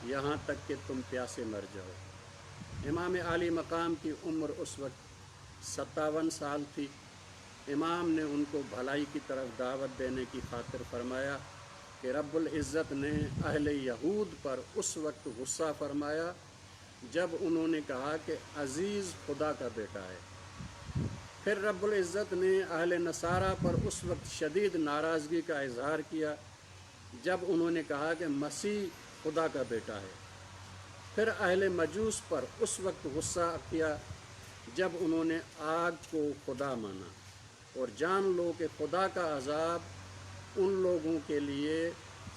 A: यहाँ तक कि तुम प्यासे मर जाओ। इमाम आली मकाम की उम्र उस वक्त सत्तावन साल थी। इमाम ने उनको भलाई की तरफ दावत देने की खातिर फरमाया कि रब्बुल इज़्ज़त ने अहले यहूद पर उस वक्त गुस्सा फरमाया जब उन्होंने कहा कि अज़ीज़ खुदा का बेटा है। फिर रब्बुल इज़्ज़त ने अहले नसारा पर उस वक्त शदीद नाराज़गी का इजहार किया जब उन्होंने कहा कि मसीह खुदा का बेटा है। फिर अहले मजूस पर उस वक्त गुस्सा किया जब उन्होंने आग को खुदा माना। और जान लो कि खुदा का अजाब उन लोगों के लिए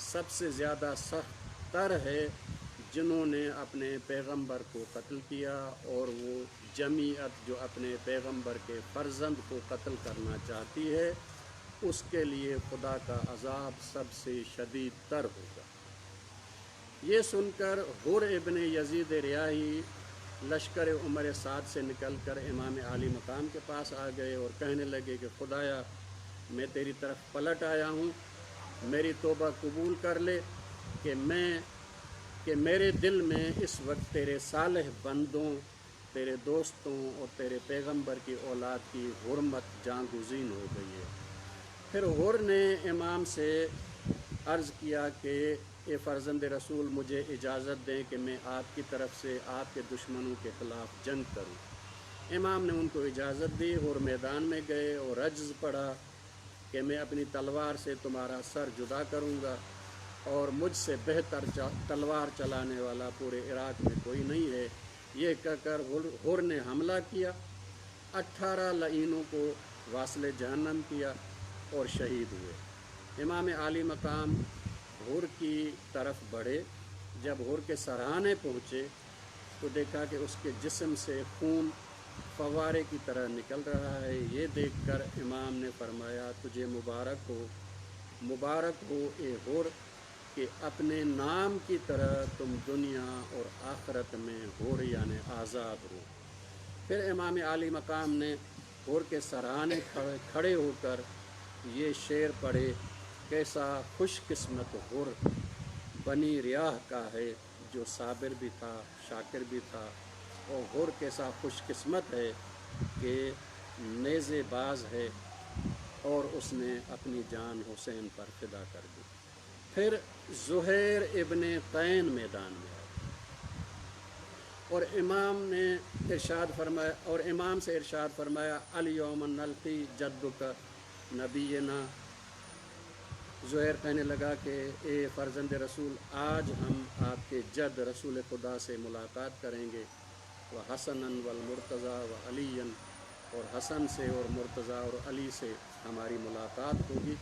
A: सबसे ज़्यादा सख्त तर है जिन्होंने अपने पैगंबर को कत्ल किया, और वो जमीयत जो अपने पैगंबर के फ़र्जंद को कत्ल करना चाहती है उसके लिए खुदा का अजाब सबसे शदीद तर होगा। ये सुनकर हुर इब्न यजीद रियाही लश्कर उमर साद से निकलकर इमाम आली मकाम के पास आ गए और कहने लगे कि खुदाया, मैं तेरी तरफ पलट आया हूँ, मेरी तोबा कबूल कर ले कि मैं कि मेरे दिल में इस वक्त तेरे सालेह बंदों, तेरे दोस्तों और तेरे पैगंबर की औलाद की हुर्मत जांगुज़ीन हो गई है। फिर हुर ने इमाम से अर्ज़ किया कि ए फ़र्जंद रसूल, मुझे इजाज़त दें कि मैं आपकी तरफ से आपके दुश्मनों के ख़िलाफ़ जंग करूं। इमाम ने उनको इजाज़त दी और मैदान में गए और रज्ज़ पढ़ा कि मैं अपनी तलवार से तुम्हारा सर जुदा करूंगा और मुझसे बेहतर तलवार चलाने वाला पूरे इराक़ में कोई नहीं है। ये कहकर हुर ने हमला किया, अट्ठारह लईनों को वासले जहन्नम किया और शहीद हुए। इमाम आली मकाम हुर की तरफ बढ़े। जब हुर के सराहने पहुँचे तो देखा कि उसके जिस्म से खून फवारे की तरह निकल रहा है। ये देखकर इमाम ने फरमाया, तुझे मुबारक हो, मुबारक हो ए हुर, कि अपने नाम की तरह तुम दुनिया और आखिरत में हुर यानि आज़ाद हो। फिर इमाम आली मकाम ने हुर के सराहने खड़े खड़े होकर ये शेर पढ़े, कैसा खुशकिस्मत हुर बनी रियाह का है, जो साबिर भी था, शाकिर भी था, और हुर कैसा खुशकिस्मत है कि नेज़ेबाज है और उसने अपनी जान हुसैन पर फिदा कर दी। फिर ज़ुहैर इब्न can मैदान में आए और इमाम ने इरशाद फरमाया और इमाम से इरशाद फरमाया, अल यौम नल्की जद्दुक नबीना। ज़ुहैर कहने लगा कि ए फ़र्जंद रसूल, आज हम आपके जद रसूल खुदा से मुलाकात करेंगे। व हसनन वल मुर्तज़ा व अलीयन, और हसन से और मुर्तज़ा और अली से हमारी मुलाकात होगी।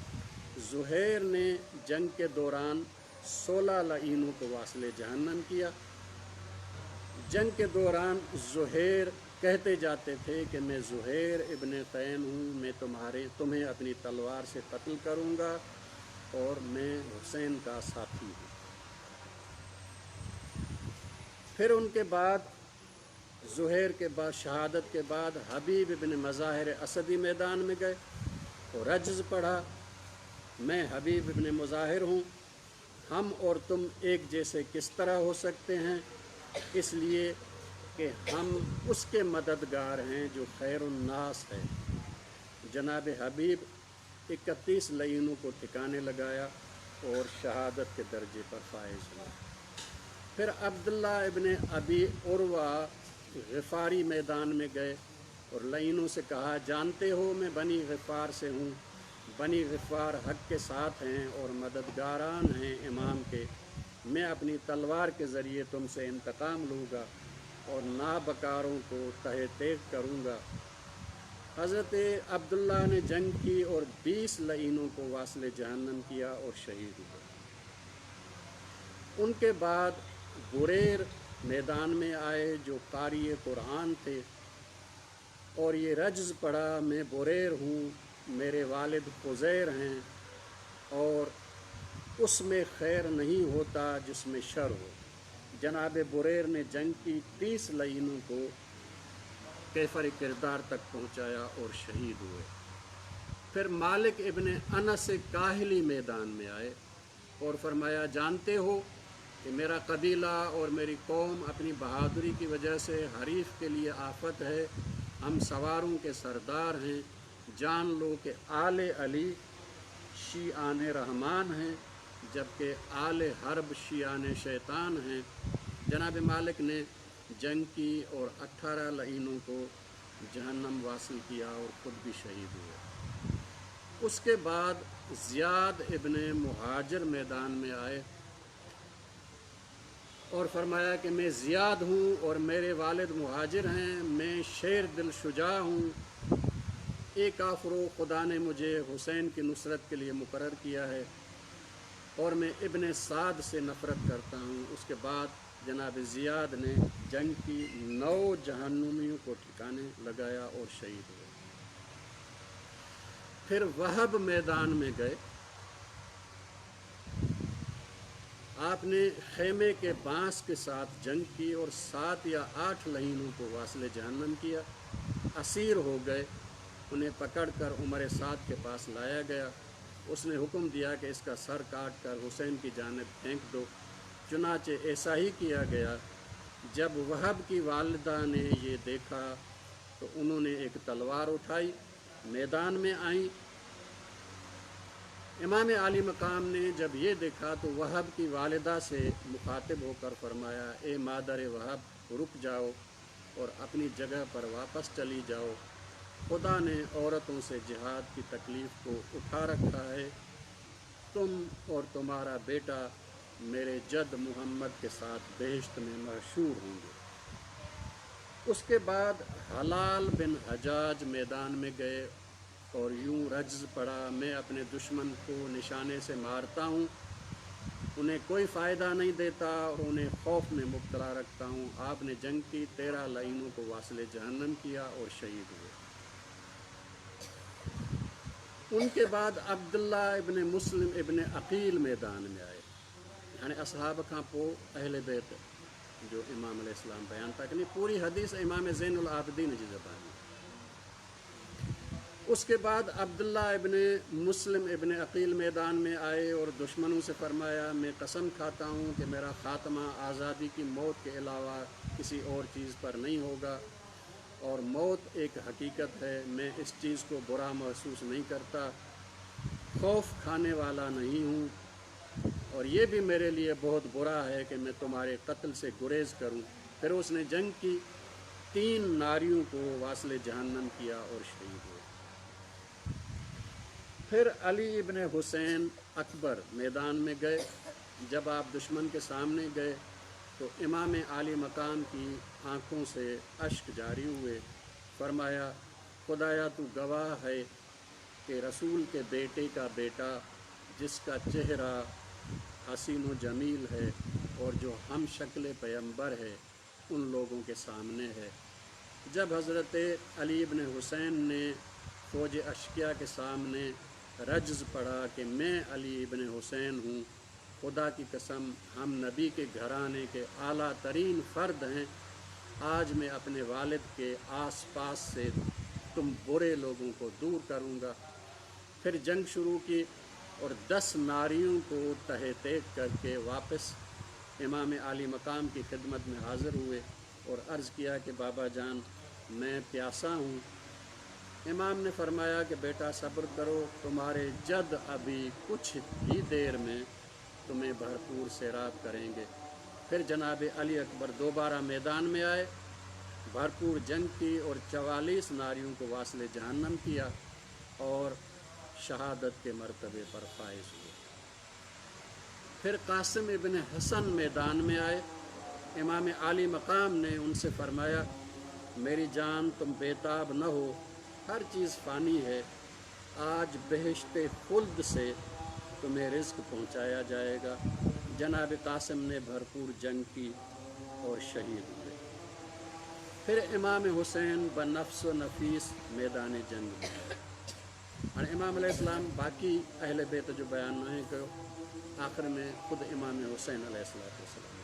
A: ज़ुहैर ने जंग के दौरान सोलह लईनों को वासले जहन्नम किया। जंग के दौरान ज़ुहैर कहते जाते थे कि मैं ज़ुहैर इब्न can हूँ, मैं तुम्हारे तुम्हें अपनी तलवार से कत्ल करूँगा और मैं हुसैन का साथी हूँ। फिर उनके बाद ज़ुहैर के बाद शहादत के बाद हबीब इब्न मज़ाहिर असदी मैदान में गए और रज्ज़ पढ़ा, मैं हबीब इब्न मज़ाहिर हूँ, हम और तुम एक जैसे किस तरह हो सकते हैं, इसलिए कि हम उसके मददगार हैं जो खैरुन्नास है। जनाब हबीब इकतीस लईनों को ठिकाने लगाया और शहादत के दर्जे पर फाइज हुआ। फिर अब्दुल्ला इब्न अबी उर्वा ग़िफ़ारी मैदान में गए और लईनों से कहा, जानते हो मैं बनी ग़िफ़ार से हूँ, बनी ग़िफ़ार हक़ के साथ हैं और मददगारान हैं इमाम के, मैं अपनी तलवार के ज़रिए तुमसे इंतकाम लूँगा और नाबकारों को तहे तेग करूँगा। हज़रत अब्दुल्ला ने जंग की और बीस लईनों को वासले जहन्नम किया और शहीद हुए। उनके बाद बुरेर मैदान में आए जो कारी कुरान थे और ये रज्ज़ पढ़ा, मैं बुरेर हूँ, मेरे वालिद ख़ुज़ैर हैं और उसमें खैर नहीं होता जिसमें शर हो। जनाब बुरेर ने जंग की तीस लईनों को कैफर किरदार तक पहुँचाया और शहीद हुए। फिर मालिक इब्न अनस काहिली मैदान में आए और फरमाया, जानते हो कि मेरा कबीला और मेरी कौम अपनी बहादुरी की वजह से हरीफ के लिए आफत है, हम सवारों के सरदार हैं, जान लो कि आले अली शीआन रहमान हैं जबकि आले हर्ब शीआन शैतान हैं। जनाब मालिक ने जंग की और अट्ठारह लईनों को जहन्नम वासिल किया और ख़ुद भी शहीद हुए। उसके बाद ज़ियाद इब्न मुहाजिर मैदान में आए और फरमाया कि मैं ज़ियाद हूँ और मेरे वालिद मुहाजिर हैं, मैं शेर दिल शुजा हूँ, ए काफरो, खुदा ने मुझे हुसैन की नुसरत के लिए मुकर्रर किया है और मैं इब्न साद से नफ़रत करता हूँ। उसके बाद जनाब ज़ियाद ने जंग की नौ जहन्नुमियों को ठिकाने लगाया और शहीद हुए। फिर वहब मैदान में गए आपने खेमे के बांस के साथ जंग की और सात या आठ लहीनों को वासिल जहन्नम किया। असीर हो गए। उन्हें पकड़कर उमर साद के पास लाया गया। उसने हुक्म दिया कि इसका सर काट कर हुसैन की जानिब फेंक दो। चुनाचे ऐसा ही किया गया। जब वहब की वालिदा ने ये देखा तो उन्होंने एक तलवार उठाई, मैदान में आई। इमाम आली मकाम ने जब ये देखा तो वहब की वालिदा से मुखातिब होकर फरमाया, ए मादर वहब, रुक जाओ और अपनी जगह पर वापस चली जाओ। खुदा ने औरतों से जिहाद की तकलीफ़ को उठा रखा है। तुम और तुम्हारा बेटा मेरे जद मोहम्मद के साथ बेहिश्त में मशहूर होंगे। उसके बाद हलाल बिन हजाज मैदान में गए और यूँ रज्ज़ पड़ा, मैं अपने दुश्मन को निशाने से मारता हूँ, उन्हें कोई फ़ायदा नहीं देता और उन्हें खौफ में मुब्तला रखता हूँ। आपने जंग की, तेरह लाइनों को वासिल जहन्नम किया और शहीद हुए। उनके बाद अब्दुल्ला इब्न मुस्लिम इब्न अकील मैदान में आए। हाणे असहाब खां पोइ अहले बैत जो इमाम अलैहिस्सलाम बयान था कनि, पूरी हदीस इमाम ज़ैनुल आबिदीन जी ज़बानी। उसके बाद अब्दुल्ला इब्न मुस्लिम इब्न अकील मैदान में आए और दुश्मनों से फरमाया, मैं कसम खाता हूँ कि मेरा ख़ात्मा आज़ादी की मौत के अलावा किसी और चीज़ पर नहीं होगा और मौत एक हकीकत है। मैं इस चीज़ को बुरा महसूस नहीं करता, खौफ खाने वाला नहीं हूँ और ये भी मेरे लिए बहुत बुरा है कि मैं तुम्हारे कत्ल से गुरेज़ करूँ। फिर उसने जंग की, तीन नारियों को वासिल जहन्नम किया और शहीद हुए। फिर अली इब्न हुसैन अकबर मैदान में गए। जब आप दुश्मन के सामने गए तो इमाम आली मकाम की आँखों से अश्क जारी हुए। फरमाया, खुदाया तू गवाह है कि रसूल के बेटे का बेटा जिसका चेहरा हसीन व जमील है और जो हम शक्ल पैगंबर है, उन लोगों के सामने है। जब हज़रत अली इब्न हुसैन ने फ़ौज अशकिया के सामने रज्ज़ पढ़ा कि मैं अली इब्न हुसैन हूँ, खुदा की कसम हम नबी के घराने के आला तरीन फ़र्द हैं, आज मैं अपने वालिद के आस पास से तुम बुरे लोगों को दूर करूँगा। फिर जंग शुरू की और दस नारियों को तहे तेग करके वापस इमाम आली मकाम की खिदमत में हाज़िर हुए और अर्ज़ किया कि बाबा जान, मैं प्यासा हूँ। इमाम ने फरमाया कि बेटा सब्र करो, तुम्हारे जद अभी कुछ ही देर में तुम्हें भरपूर सैराब करेंगे। फिर जनाब अली अकबर दोबारा मैदान में आए, भरपूर जंग की और चवालीस नारियों को वासिल जहन्नम किया और शहादत के मरतबे पर फाइज हुए। फिर कासिम इब्न हसन मैदान में आए। इमाम आली मकाम ने उनसे फरमाया, मेरी जान तुम बेताब न हो, हर चीज़ फ़ानी है, आज बहिश्ते खुल्द से तुम्हें रिज़्क पहुँचाया जाएगा। जनाब कासिम ने भरपूर जंग की और शहीद हुए। फिर इमाम हुसैन बनफ्स व नफीस मैदान जंग में आए। हाणे इमाम अलैहिस्सलाम बाक़ी अहले बैत जो बयान न कयो, आख़िर में ख़ुदि इमाम हुसैन अलैहिस्सलाम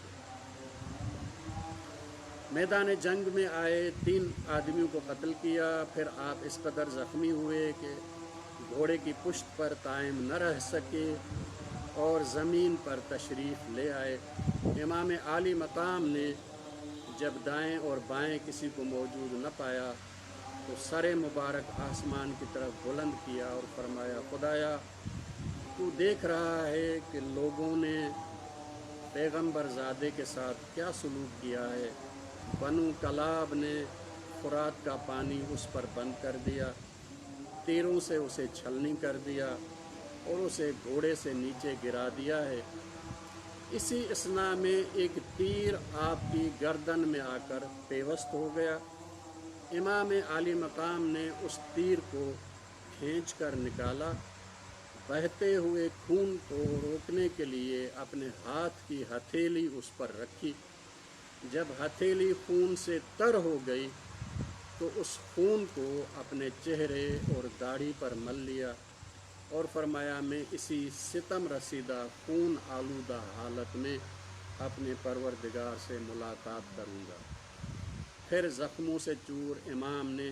A: मैदान जंग में आए, तीन आदमियों को कत्ल किया। फिर आप इस कदर ज़ख्मी हुए कि घोड़े की पुश्त पर कायम न रह सके और ज़मीन पर तशरीफ़ ले आए। इमाम आली मकाम ने जब दाएं और बाएं किसी को मौजूद न पाया तो सर मुबारक आसमान की तरफ बुलंद किया और फरमाया, खुदाया तू देख रहा है कि लोगों ने पैगंबर ज़ादे के साथ क्या सलूक किया है। बनु कलाब ने खुरात का पानी उस पर बंद कर दिया, तीरों से उसे छलनी कर दिया और उसे घोड़े से नीचे गिरा दिया है। इसी इसना में एक तीर आपकी गर्दन में आकर पेवस्त हो गया। इमाम आली मकाम ने उस तीर को खींच कर निकाला, बहते हुए खून को रोकने के लिए अपने हाथ की हथेली उस पर रखी। जब हथेली खून से तर हो गई तो उस खून को अपने चेहरे और दाढ़ी पर मल लिया और फरमाया, मैं इसी सितम रसीदा खून आलूदा हालत में अपने परवरदिगार से मुलाकात करूँगा। फिर ज़ख्मों से चूर इमाम ने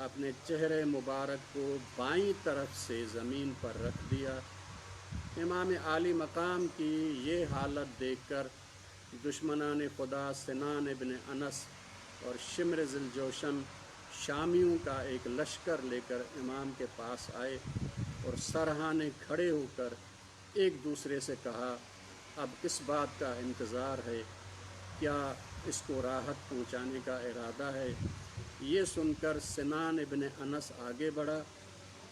A: अपने चेहरे मुबारक को बाईं तरफ से ज़मीन पर रख दिया। इमाम आली मकाम की ये हालत देखकर दुश्मनान खुदा सिनान इब्न अनस और शिम्र ज़िलजोशन शामियों का एक लश्कर लेकर इमाम के पास आए और सरहाने खड़े होकर एक दूसरे से कहा, अब किस बात का इंतज़ार है? क्या इसको राहत पहुँचाने का इरादा है? ये सुनकर सिनान इब्न अनस आगे बढ़ा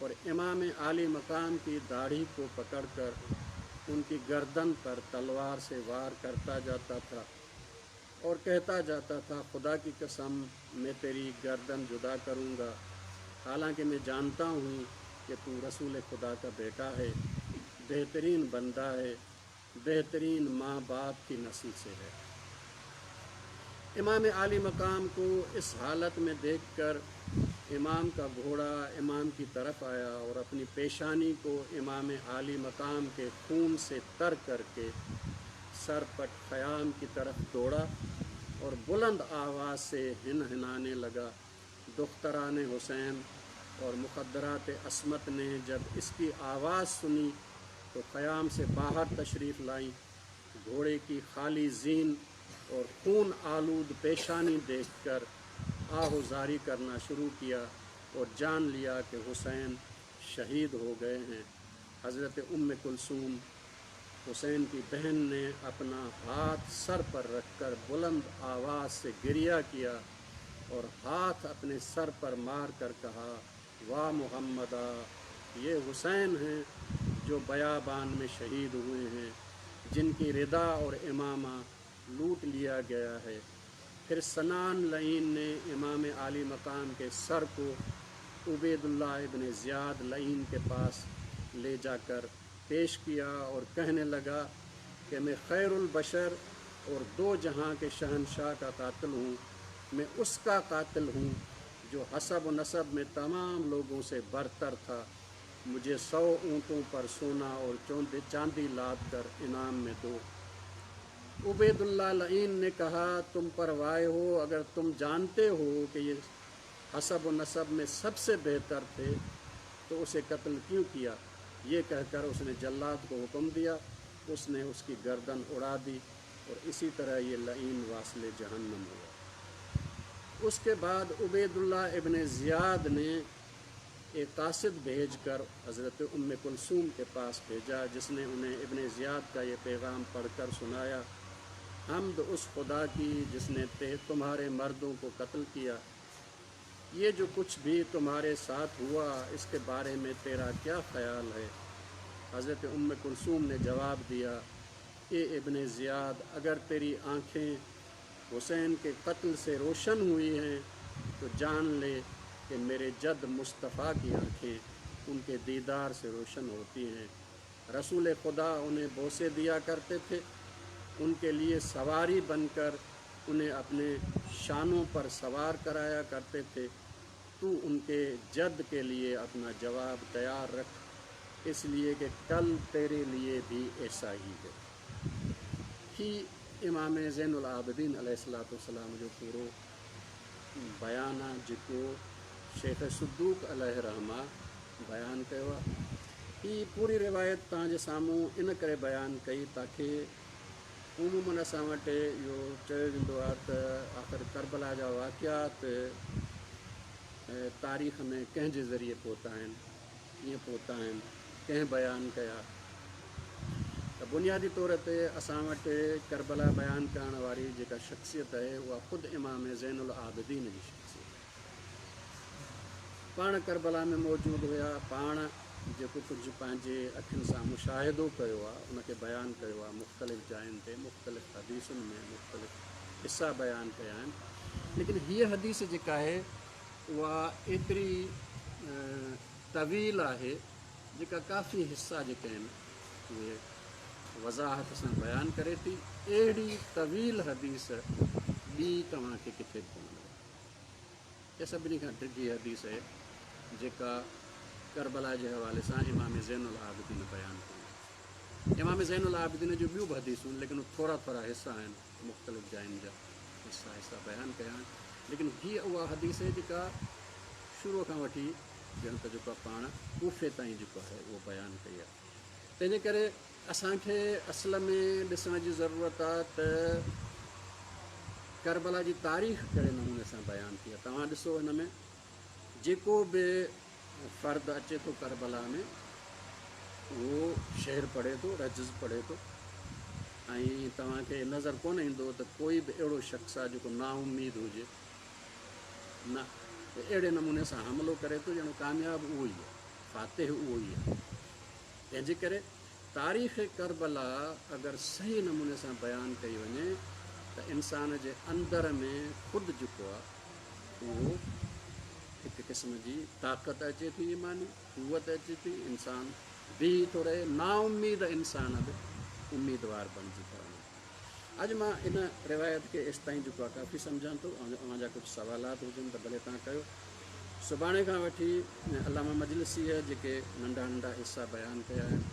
A: और इमाम आली मकाम की दाढ़ी को पकड़कर उनकी गर्दन पर तलवार से वार करता जाता था और कहता जाता था, खुदा की कसम मैं तेरी गर्दन जुदा करूँगा, हालांकि मैं जानता हूँ कि तू रसूल खुदा का बेटा है, बेहतरीन बंदा है, बेहतरीन माँ बाप की नस्ल से है। इमाम आली मकाम को इस हालत में देखकर इमाम का घोड़ा इमाम की तरफ आया और अपनी पेशानी को इमाम आली मकाम के खून से तर करके सरपट ख़याम की तरफ दौड़ा और बुलंद आवाज़ से हिन हिनाने लगा। दुख्तरान हुसैन और मुखद्दरात अस्मत ने जब इसकी आवाज़ सुनी तो ख़याम से बाहर तशरीफ़ लाई। घोड़े की खाली जीन और खून आलूद पेशानी देखकर आहुजारी करना शुरू किया और जान लिया कि हुसैन शहीद हो गए हैं। हज़रत उम्म कुलसूम हुसैन की बहन ने अपना हाथ सर पर रखकर बुलंद आवाज़ से गिरिया किया और हाथ अपने सर पर मार कर कहा, वाह मुहम्मदा, ये हुसैन हैं जो बयाबान में शहीद हुए हैं, जिनकी रिदा और इमामा लूट लिया गया है। फिर सनान लईन ने इमाम आली मकाम के सर को उबैदुल्लाह इब्न ज़ियाद लईन के पास ले जाकर पेश किया और कहने लगा कि मैं खैरुल बशर और दो जहां के शहनशाह का कातिल हूँ। मैं उसका कातिल हूँ जो हसब व नसब में तमाम लोगों से बरतर था। मुझे सौ ऊँटों पर सोना और चांदी लाद कर इनाम में दो। उबैदुल्लाह लईन ने कहा, तुम परवाए हो, अगर तुम जानते हो कि ये हसब व नसब में सबसे बेहतर थे तो उसे कत्ल क्यों किया? ये कहकर उसने जल्लाद को हुक्म दिया, उसने उसकी गर्दन उड़ा दी और इसी तरह ये लईन वासिले जहन्नम हुआ। उसके बाद उबैदुल्लाह इब्न ज़ियाद ने एक कासिद भेज कर हज़रत उम्म कुलसूम के पास भेजा, जिसने उन्हें इब्न ज़ियाद का ये पैगाम पढ़कर सुनाया, हमद उस खुदा की जिसने ते तुम्हारे मर्दों को कत्ल किया। ये जो कुछ भी तुम्हारे साथ हुआ इसके बारे में तेरा क्या ख्याल है? हज़रत उम्म कुलसूम ने जवाब दिया, ए इब्न ज़ियाद, अगर तेरी आँखें हुसैन के कत्ल से रोशन हुई हैं तो जान ले कि मेरे जद मुस्तफ़ा की आँखें उनके दीदार से रोशन होती हैं। रसूल खुदा उन्हें बोसे दिया करते थे, उनके लिए सवारी बनकर उन्हें अपने शानों पर सवार कराया करते थे। तू उनके जद के लिए अपना जवाब तैयार रख, इसलिए कि कल तेरे लिए भी ऐसा ही है। ही इमाम ज़ैनुल आबिदीन अलैहिस्सलातु वस्सलाम जो पूरो बयान आहे, जेको शेख सदूक अलैहि रहमा बयान कयो आहे। हीअ पूरी रिवायत तव्हांजे साम्हूं इन करे बयान कई ताकि उमूमन असां वटि इहो चयो वेंदो आहे त आख़िर करबला जा वाक़ियात तारीख़ में कंहिंजे ज़रिए पहुता आहिनि, कीअं पहुता आहिनि, कंहिं बयान कया। त बुनियादी तौर ते असां वटि करबला बयान करण वारी जेका शख्सियत आहे उहा ख़ुदि इमाम ज़ैनुल आबिदीन जी शख्सियत आहे। पाण करबला में मौजूदु हुया, पाण जेको कुझु पंहिंजे अखियुनि सां मुशाहिदो कयो आहे उनखे बयानु कयो आहे। मुख़्तलिफ़ जायुनि ते मुख़्तलिफ़ हदीसुनि में मुख़्तलिफ़ हिसा बयानु कया आहिनि। लेकिन हीअ हदीस जेका आहे उहा एतिरी तवील आहे जेका काफ़ी हिसा जेके आहिनि उहे वज़ाहत सां बयानु करे थी। अहिड़ी तवील हदीस ॿी तव्हांखे किथे कोन मिले। इहा सभिनी खां डिघी हदीस आहे जेका ڪربلا جي حوالي سان امام زين العابدين بيان ڪيون. امام زين العابدين جون ٻيون به حديثون، ليڪن ٿورا ٿورا حصا آهن، مختلف جاين جا حصا حصا بيان ڪيا آهن، ليڪن هيء اها حديث آهي جيڪا شروع کان وٺي ڄڻ ته جيڪو پاڻ ڪوفي تائين جيڪو آهي اهو بيان ڪئي آهي. تنهن جي ڪري اسان کي اصل ۾ ڏسڻ جي ضرورت آهي ته ڪربلا جي تاريخ ڪهڙي نموني سان بيان ٿي آهي. توهان ڏسو هن ۾ جيڪو به فرد اچي ٿو ڪربلا ۾ اهو شعر پڙهي ٿو، رجز پڙهي ٿو، ۽ توهان کي نظر ڪونه ايندو ته ڪوئي به اهڙو شخص آهي جيڪو نااميد هجي، نه اهڙي نموني سان حملو ڪري ٿو ڄڻ ڪامياب اهو ئي آهي، فاتح اهو ئي آهي. تنهن جي ڪري تاريخ ڪربلا اگر صحيح نموني سان بيان ڪئي وڃي ته انسان جي اندر ۾ خود جيڪو آهي اهو هڪ قسم جي طاقت اچي ٿي، ايماني قوت اچي ٿي، انسان بيهي ٿو رهي، نااميد انسان به اميدوار بڻجي ٿا وڃن. اڄ مان ان روايت کي ايستائين جيڪو آهي ڪافي سمجهان ٿو. اوهان جا ڪجهه سوالات هجن ته ڀلي توهان ڪيو. سڀاڻي کان وٺي علامه مجلسيء جيڪي ننڍا ننڍا حصا بيان ڪيا آهن،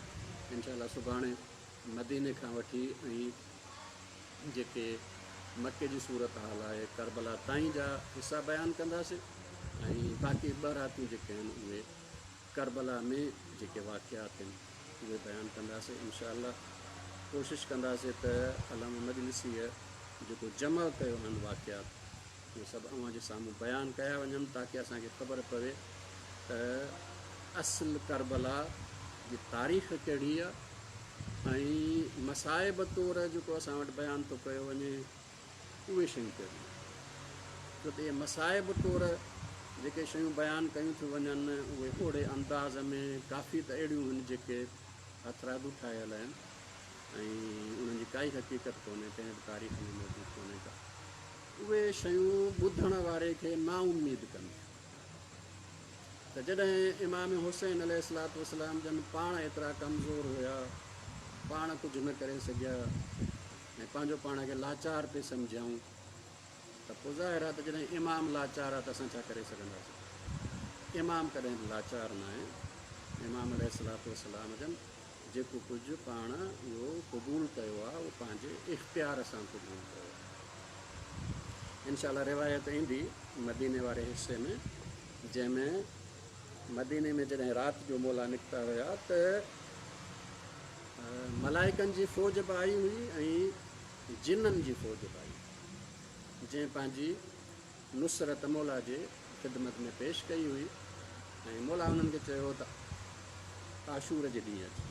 A: انشاء الله سڀاڻي مديني کان وٺي ۽ جيڪي مڪي جي صورت حال آهي ڪربلا تائين جا حصا بيان ڪنداسين، ۽ باقي ٻه راتيون جيڪي آهن اهي ڪربلا ۾ جيڪي واقعات آهن اهي بيان ڪنداسين انشاء الله. ڪوشش ڪنداسين ته علامه مجلسيء جيڪو جمع ڪيو آهن واقعات اهي سڀ اوهان جي سامهون بيان ڪيا وڃن، تاڪه اسان کي خبر پوي ته اصل ڪربلا جي تاريخ ڪهڙي آهي ۽ مصائب طور جيڪو اسان وٽ بيان ٿو ڪيو وڃي اهي شيون ڪهڙيون آهن. ڇو ته اهي مصائب طور جيڪي شيون بيان ڪيون ٿيون وڃن اهي اوڙي انداز ۾ ڪافي ته اهڙيون آهن جيڪي هٿرادو ٺاهيل آهن ۽ انهن جي ڪائي حقيقت ڪونهي، ڪنهن به تاريخ ۾ موجود ڪونهي ڪا. اهي شيون ٻڌڻ واري کي نااميد ڪن ٿيون. ته جڏهن امام حسين عليه الصلوة والسلام جن پاڻ ايترا ڪمزور هيا، پاڻ ڪجهه نه ڪري سگهيا ۽ پنهنجو پاڻ کي لاچار پئي سمجهيائون، ته پوء ظاهر آهي ته جڏهن امام لاچار آهي ته اسان ڇا ڪري سگهنداسين؟ امام ڪڏهن به لاچار ناهي. امام عليه الصلوة والسلام جن جيڪو ڪجهه پاڻ اهو قبول ڪيو آهي اهو پنهنجي اختيار سان قبول ڪيو آهي. انشاء الله روايت ايندي مديني واري حصي ۾ جنهن ۾ مديني ۾ جڏهن رات جو مولا نڪتا هيا ته ملائڪن جي فوج به آئي هئي ۽ جنن جي فوج به آئي هئي، جنهن پنهنجي نصرت مولا جي خدمت ۾ پيش ڪئي هئي ۽ مولا انهن کي چيو ته عاشور جي ڏينهن اچجو.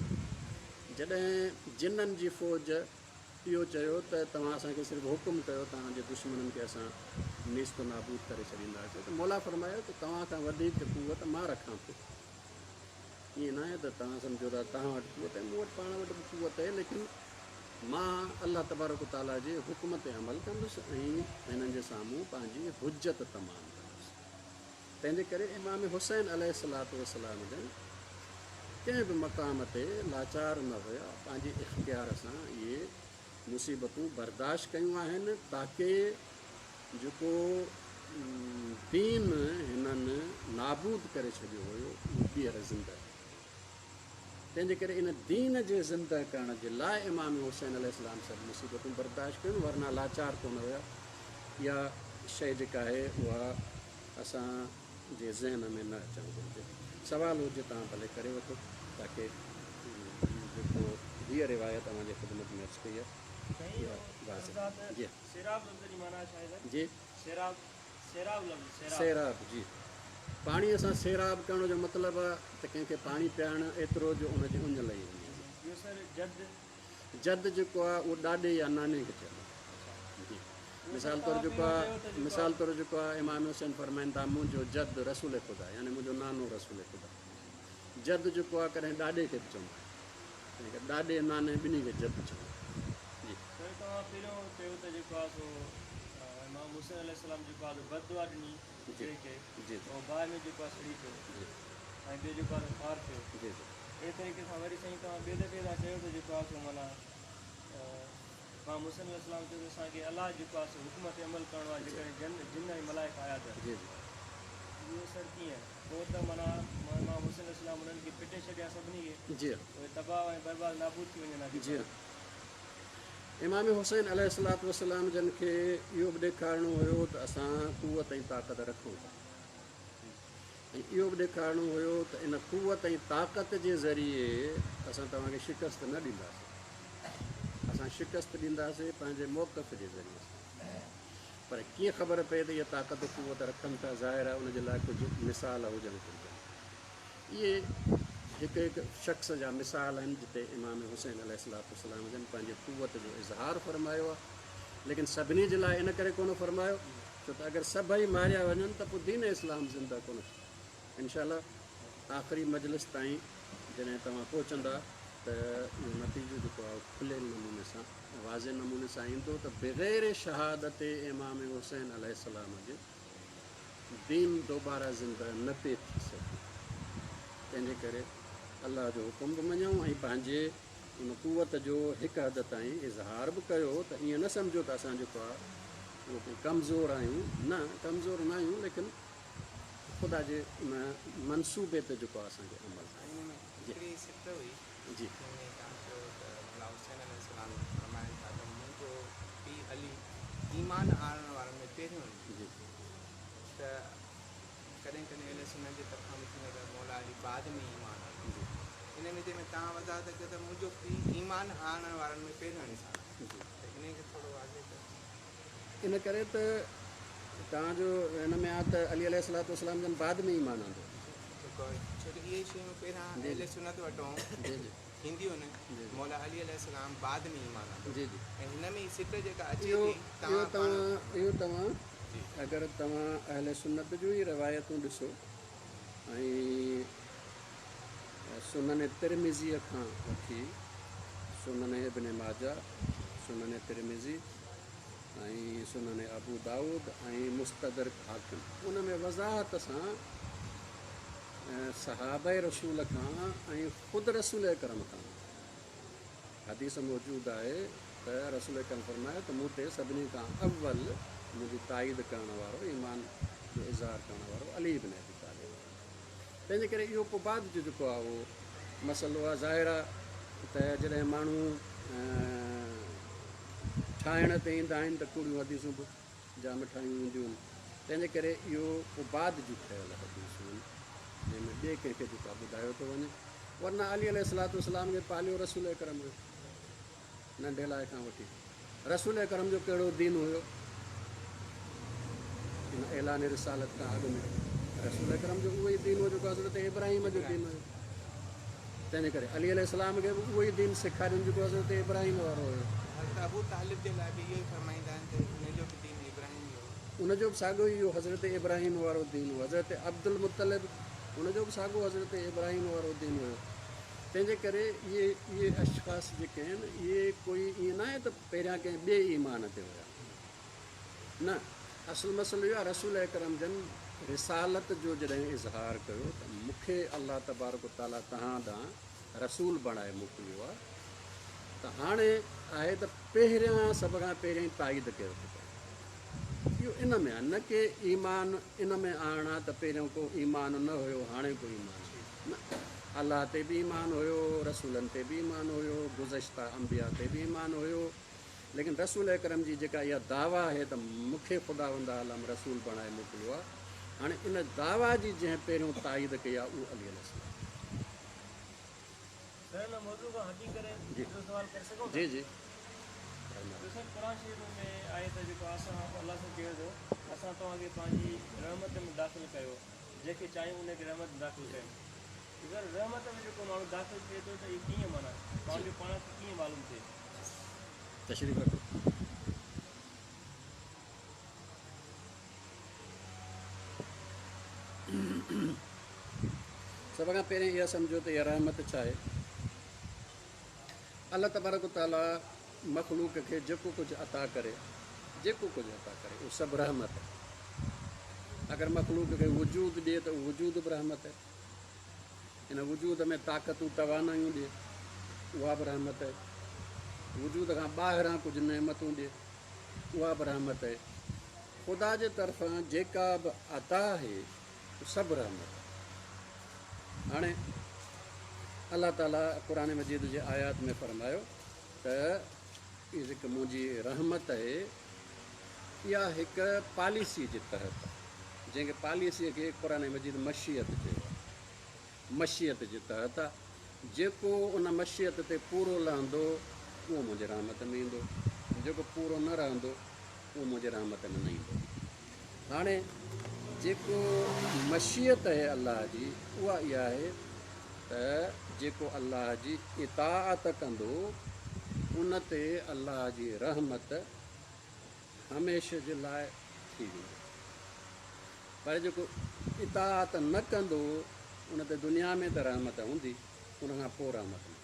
A: جڏهن جنن جي فوج اهو چيو ته توهان اسان کي صرف حڪم ڪيو، توهان جي دشمنن کي اسان نيست و نابود ڪري ڇڏينداسين، ته مولا فرمايو ته توهان کان وڌيڪ قوت مان رکان ٿو. ائين ناهي ته توهان سمجهو ٿا توهان وٽ قوت آهي، مون وٽ پاڻ وٽ به قوت آهي، ليڪن مان الله تبارڪ و تعاليٰ جي حڪم تي عمل ڪندس ۽ هنن جي سامهون پنهنجي حجت تمام ڪندس. تنهن جي ڪري امام حسين عليه الصلوة والسلام جن ڪنهن به مقام تي لاچار نه هيا، پنهنجي اختيار سان اهي مصيبتون برداشت ڪيون آهن تاڪه جيڪو دين هنن نابود ڪري ڇڏيو هيو اهو ٻيهر زنده ٿئي. تنهن جي ڪري ان دين جي زنده ڪرڻ جي لاء امام حسين عليه السلام سڀ مصيبتون برداشت ڪيون، ورنه لاچار ڪونه هيا. اها شيء جيڪا آهي اها اسان جي ذهن ۾ نه اچڻ گهرجي. سوال هجي توهان ڀلي ڪري وٺو تاڪه جيڪو هيء روايت اوهان جي خدمت ۾ عرض ڪئي آهي اها واضح جي.
B: سيراب لفظ جي معنيٰ ڇا آهي سر؟
A: جي.
B: سيراب سيراب لفظ سيراب.
A: سيراب جي. پاڻيء سان سيراب ڪرڻ جو مطلب آهي ته ڪنهن کي پاڻي پيارڻ ايترو جو ان جي اڃ لهي وڃي.
B: ٻيو سر جد.
A: جد جيڪو آهي اهو ڏاڏي يا ناني کي چئبو آهي. جي. مثال طور جيڪو آهي مثال طور جيڪو آهي امام حسين فرمائن ٿا منهنجو جد رسول خدا يعني منهنجو نانو رسول خدا. جد جيڪو آهي ڪڏهن ڏاڏي کي به چوندا آهن. تنهن ڪري ڏاڏي ناني ٻنهي کي جد چوندا آهن. جي.
B: سر توهان پهريون چيو ته جيڪو آهي سو امام حسين عليه السلام جيڪو آهي سو بد دعا ڏني
A: جي
B: ٻئي کي
A: جي
B: ۽ باهه ۾ جيڪو آهي سڙي پيو
A: جي
B: ۽ ٻيو جيڪو آهي سو خوار ٿيو.
A: جي جي.
B: اهڙي طريقي سان وري سائين توهان ٻئي دفعي توهان چيو ته جيڪو آهي سو معنيٰ امام حسين عليه السلام چيو ته اسان کي الله جيڪو آهي سو حڪم تي عمل ڪرڻو آهي
A: جي
B: جيڪڏهن جن جن ۽ ملائڪ آيا ته
A: جي جي.
B: اهو سر ڪيئن پوءِ ته معنيٰ امام حسين عليه السلام انهن کي پٽي ڇڏيا سڀني کي،
A: جي
B: اهي تباهه ۽ برباد نابود ٿي وڃن ها.
A: جي، امام حسين عليه الصلوة والسلام جن کي اهو به ڏيکارڻو هيو ته اسان قوت ۽ طاقت رکون ٿا، ۽ اهو به ڏيکارڻو هيو ته ان قوت ۽ طاقت جي ذريعي اسان توهان کي شڪست نه ڏينداسين، اسان شڪست ڏينداسين پنهنجي موقف جي ذريعي سان. پر ڪيئن خبر پئي ته اها طاقت قوت رکن ٿا؟ ظاهر آهي ان جي لاءِ ڪجهه مثال هجڻ گهرجن. اهي هڪ هڪ شخص جا مثال آهن جتي امام حسين عليه الصلوة والسلام جن پنهنجي قوت جو اظهار فرمايو آهي، ليڪن سڀني جي لاءِ ان ڪري ڪونه فرمايو ڇو ته اگر سڀئي ماريا وڃن ته پوءِ دين اسلام زنده ڪونه ٿيندو. انشاء الله آخري مجلس تائين جڏهن توهان پهچندا ته اهو نتيجو جيڪو آهي کليل نموني سان واضح نموني سان ايندو ته بغير شهادت امام حسين عليه السلام جي دين دوباره زنده نه پئي ٿي سگهي. تنهن جي ڪري الله جو حڪم به مڃون ۽ پنهنجي ان قوت جو هڪ حد تائين اظهار به ڪيو ته ائين نه سمجهو ته اسان جيڪو آهي اهو ڪوئي ڪمزور آهيون. نه، ڪمزور نه آهيون، ليڪن خدا جي ان منصوبي تي جيڪو آهي اسان کي عمل
C: هڪڙي سٽ هئي
A: جي
C: جنهن ۾ توهان چيو ته مولا حسين عليه السلام فرمائن ٿا ته منهنجو پيءُ علي ايمان آڻڻ وارن ۾ پهريون آهي.
A: جي
C: ته ڪڏهن ڪڏهن اهل سنت جي طرفان به ٿيندو ته مولا علي بعد ۾ ايمان آندو.
A: جي
C: ان ۾ جنهن ۾ توهان وضاحت ڪيو ته منهنجو پيءُ ايمان آڻڻ وارن ۾ پهريون انسان آهي،
A: جي
C: ته ان کي ٿورو واضح ڪيو.
A: ان ڪري ته توهان جو هن ۾ آهي ته علي عليه الصلوة والسلام جن بعد ۾ ايمان آندو.
C: جيڪو ڇو ته اهي شيون پهريان
A: جي،
C: اهل
A: جي.
C: سنت وٽون
A: جي جي
C: ٿينديون آهن.
A: جي، جي.
C: مولا علي عليه السلام بعد ۾ ايمان آندو
A: جي جي
C: ۽ هن ۾ سٽ جيڪا اچي
A: اهو
C: ٿي
A: اهو
C: توهان پاڻ
A: توهان اهو توهان
C: جي
A: اگر توهان اهل سنت جون ئي روايتون ڏسو ۽ سنن ترمذيءَ کان وٺي سنن ابن ماجه، سنن ترمذي ۽ سنن ابو دائود ۽ مستدرڪ حاڪم، ان ۾ وضاحت سان صحابه رسول کان ۽ خود رسول اڪرم کان حديث موجود آهي ته رسول اڪرم فرمايو ته مون تي سڀني کان اول منهنجي تائيد ڪرڻ وارو، ايمان جو اظهار ڪرڻ وارو علي ابن ابي طالب. تنهن جي ڪري اهو پوءِ بعد جو جيڪو آهي اهو مسئلو آهي. ظاهر آهي ته جڏهن ماڻهو ٺاهڻ تي ايندا آهن ته ڪوڙيون حديثون به جام ٺاهيون وينديون آهن. تنهن جي ڪري اهو پوءِ بعد جون ٺهيل حديثون آهن جنهن ۾ ٻئي ڪنهن کي جيڪو آهي ٻڌايو ٿو وڃي، ورنه علي عليه الصلوة والسلام کي پاليو رسول اڪرم هيو ننڍي لاءِ کان وٺي. رسول اڪرم جو ڪهڙو دين هيو؟ ان اعلان رسالت کان اڳ ۾ رسول اڪرم جو اهو ئي دين هو جيڪو حضرت ابراهيم جو دين هيو. تنهن جي ڪري علي عليه السلام کي به اهو ئي دين سيکارين جيڪو حضرت ابراهيم وارو هيو.
C: حضرت ابو طالب جي لاءِ به اهو ئي فرمائيندا آهن ته هن جو به دين ابراهيم هو.
A: ان جو به ساڳيو ئي اهو حضرت ابراهيم وارو دين هو. حضرت عبدل مطلب ان جو به ساڳيو حضرت ابراهيم وارو دين هيو. تنهن جي ڪري اهي اهي اشخاص جيڪي آهن اهي ڪوئي ائين نه آهي ته پهريان ڪنهن ٻئي ايمان تي هئا. نه، اصل مسئلو اهو آهي رسول اڪرم جن رسالت جو جڏهن اظهار ڪيو ته مون کي الله تبارڪ تعاليٰ توهان ڏانهن رسول بڻائي موڪليو آهي، ته هاڻي آهي ته پهريان سڀ کان پهريان تائيد ڪيو ٿو پئي. اهو ان ۾ آهي، نه ڪه ايمان ان ۾ آڻڻ آهي ته پهريون ڪو ايمان نه هيو هاڻي ڪو ايمان نه. الله تي به ايمان هيو، رسولن تي به ايمان هيو، گذشته انبيا تي به ايمان هيو، ليڪن رسول اڪرم جي جيڪا اها دعويٰ آهي ته مون کي خداوند عالم رسول بڻائي موڪليو آهي، هاڻي ان دعويٰ جي جنهن پهريون تائيد ڪئي آهي اهو علي عليه السلام.
B: سر هن موضوع کان هٽي ڪري
A: جي.
B: ٻيو سوال ڪري سگهون ٿا؟
A: جي جي.
B: ٻيو سر قرآن شريف ۾ آهي ته جيڪو اسان الله سان چيو ٿو اسان توهان کي پنهنجي رحمت ۾ داخل ڪيو، جنهن کي چاهيون ان کي رحمت ۾ داخل ڪيو. اگر رحمت ۾ جيڪو ماڻهو داخل ٿئي ٿو ته اهو ڪيئن معنيٰ پنهنجو پاڻ کي ڪيئن معلوم ٿئي؟
A: تشريف رکو. سڀ کان پهرين اها سمجهو ته اها رحمت ڇا آهي. الله تبارڪ تعاليٰ مخلوق کي جيڪو ڪجهه عطا ڪري، جيڪو ڪجهه عطا ڪري اهو سڀ رحمت آهي. اگر مخلوق کي وجود ڏئي ته اهو وجود به رحمت آهي. ان وجود ۾ طاقتون توانايون ڏئي اها به رحمت آهي. وجود کان ٻاهران ڪجهه نعمتون ڏئي اها به رحمت آهي. خدا جي طرفان جيڪا به عطا آهي سڀ رحمت. هاڻي الله تعاليٰ قرآن مجيد جي آيات ۾ فرمايو ته اها جيڪا منهنجي رحمت آهي اها هڪ پاليسي جي تحت آهي، جنهن کي پاليسيء کي قرآن مجيد مشيت چيو آهي. مشيت جي تحت آهي، جيڪو ان مشيت تي پورو لهندو اهو منهنجي رحمت ۾ ايندو، جيڪو پورو نه رهندو اهو منهنجي رحمت ۾ نه ايندو. هاڻي جيڪو مشيت آهي الله جي اها اها آهي ته جيڪو الله جي اطاعت ڪندو ان تي الله جي رحمت هميشه جي لاءِ ٿي ويندي، پر جيڪو اطاعت نه ڪندو ان تي دنيا ۾ ته رحمت هوندي، ان کان پوءِ رحمت نه.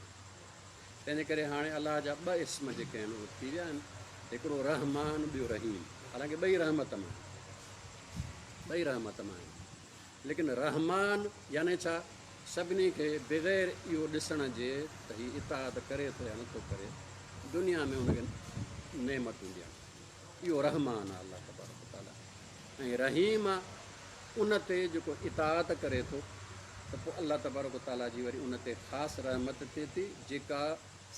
A: تنهن جي ڪري هاڻي الله جا ٻه اسم جيڪي آهن اهي ٿي ويا آهن، هڪڙو رحمان ٻيو رحيم. حالانڪه ٻئي رحمت مان آهن، ٻئي رحمت مان آهن، ليڪن رحمان يعني ڇا؟ سڀني کي بغير اهو ڏسڻ جي ته هيءُ اطاعت ڪري ٿو يا نٿو ڪري، دنيا ۾ هن کي نعمتون ڏيڻ، اهو رحمان آهي الله تبارڪ تعاليٰ. ۽ رحيم آهي ان تي جيڪو اطاعت ڪري ٿو ته پوءِ الله تبارڪ تعاليٰ جي وري ان تي خاص رحمت ٿئي ٿي جيڪا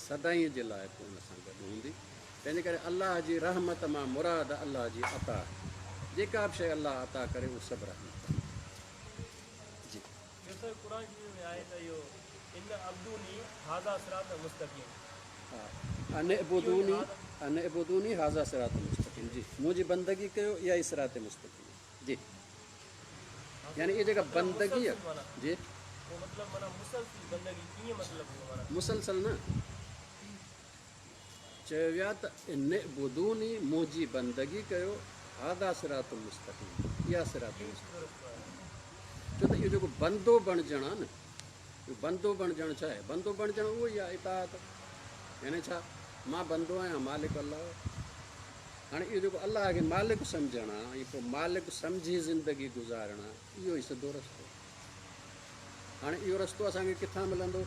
A: سدائين جي لاءِ پوءِ ان سان گڏ هوندي. تنهن جي ڪري الله جي رحمت مان مراد الله جي عطا آهي، جيڪا به شيءِ الله عطا ڪري اهو سڀ رحمت آهي. جي
B: ٻيو سر قرآن شريف ۾ آهي ته اهو ان عبدوني هذا صراط مستقيم.
A: ها، ان عبدوني، ان عبدوني هذا صراط مستقيم. جي منهنجي بندگي ڪيو اها ئي صراط مستقيم. جي يعني اها جيڪا بندگي آهي، جي
B: پوءِ مطلب معنيٰ مسلسل بندگي ڪيئن مطلب معنيٰ؟
A: مسلسل نه چيو ويو آهي ته ان عبدوني منهنجي بندگي ڪيو، هذا صراط مستقيم، اها صراط مستقيم. ڇو ته اهو جيڪو بندو بڻجڻ آهي نه، اهو بندو بڻجڻ ڇا آهي؟ بندو بڻجڻ اهو ئي آهي اطاعت. يعني ڇا؟ مان بندو آهيان، مالڪ الله. هاڻي اهو جيڪو الله کي مالڪ سمجهڻ آهي ۽ پوءِ مالڪ سمجهي زندگي گذارڻ آهي، اهو ئي سڌو رستو. هاڻي اهو رستو اسان کي ڪٿان ملندو؟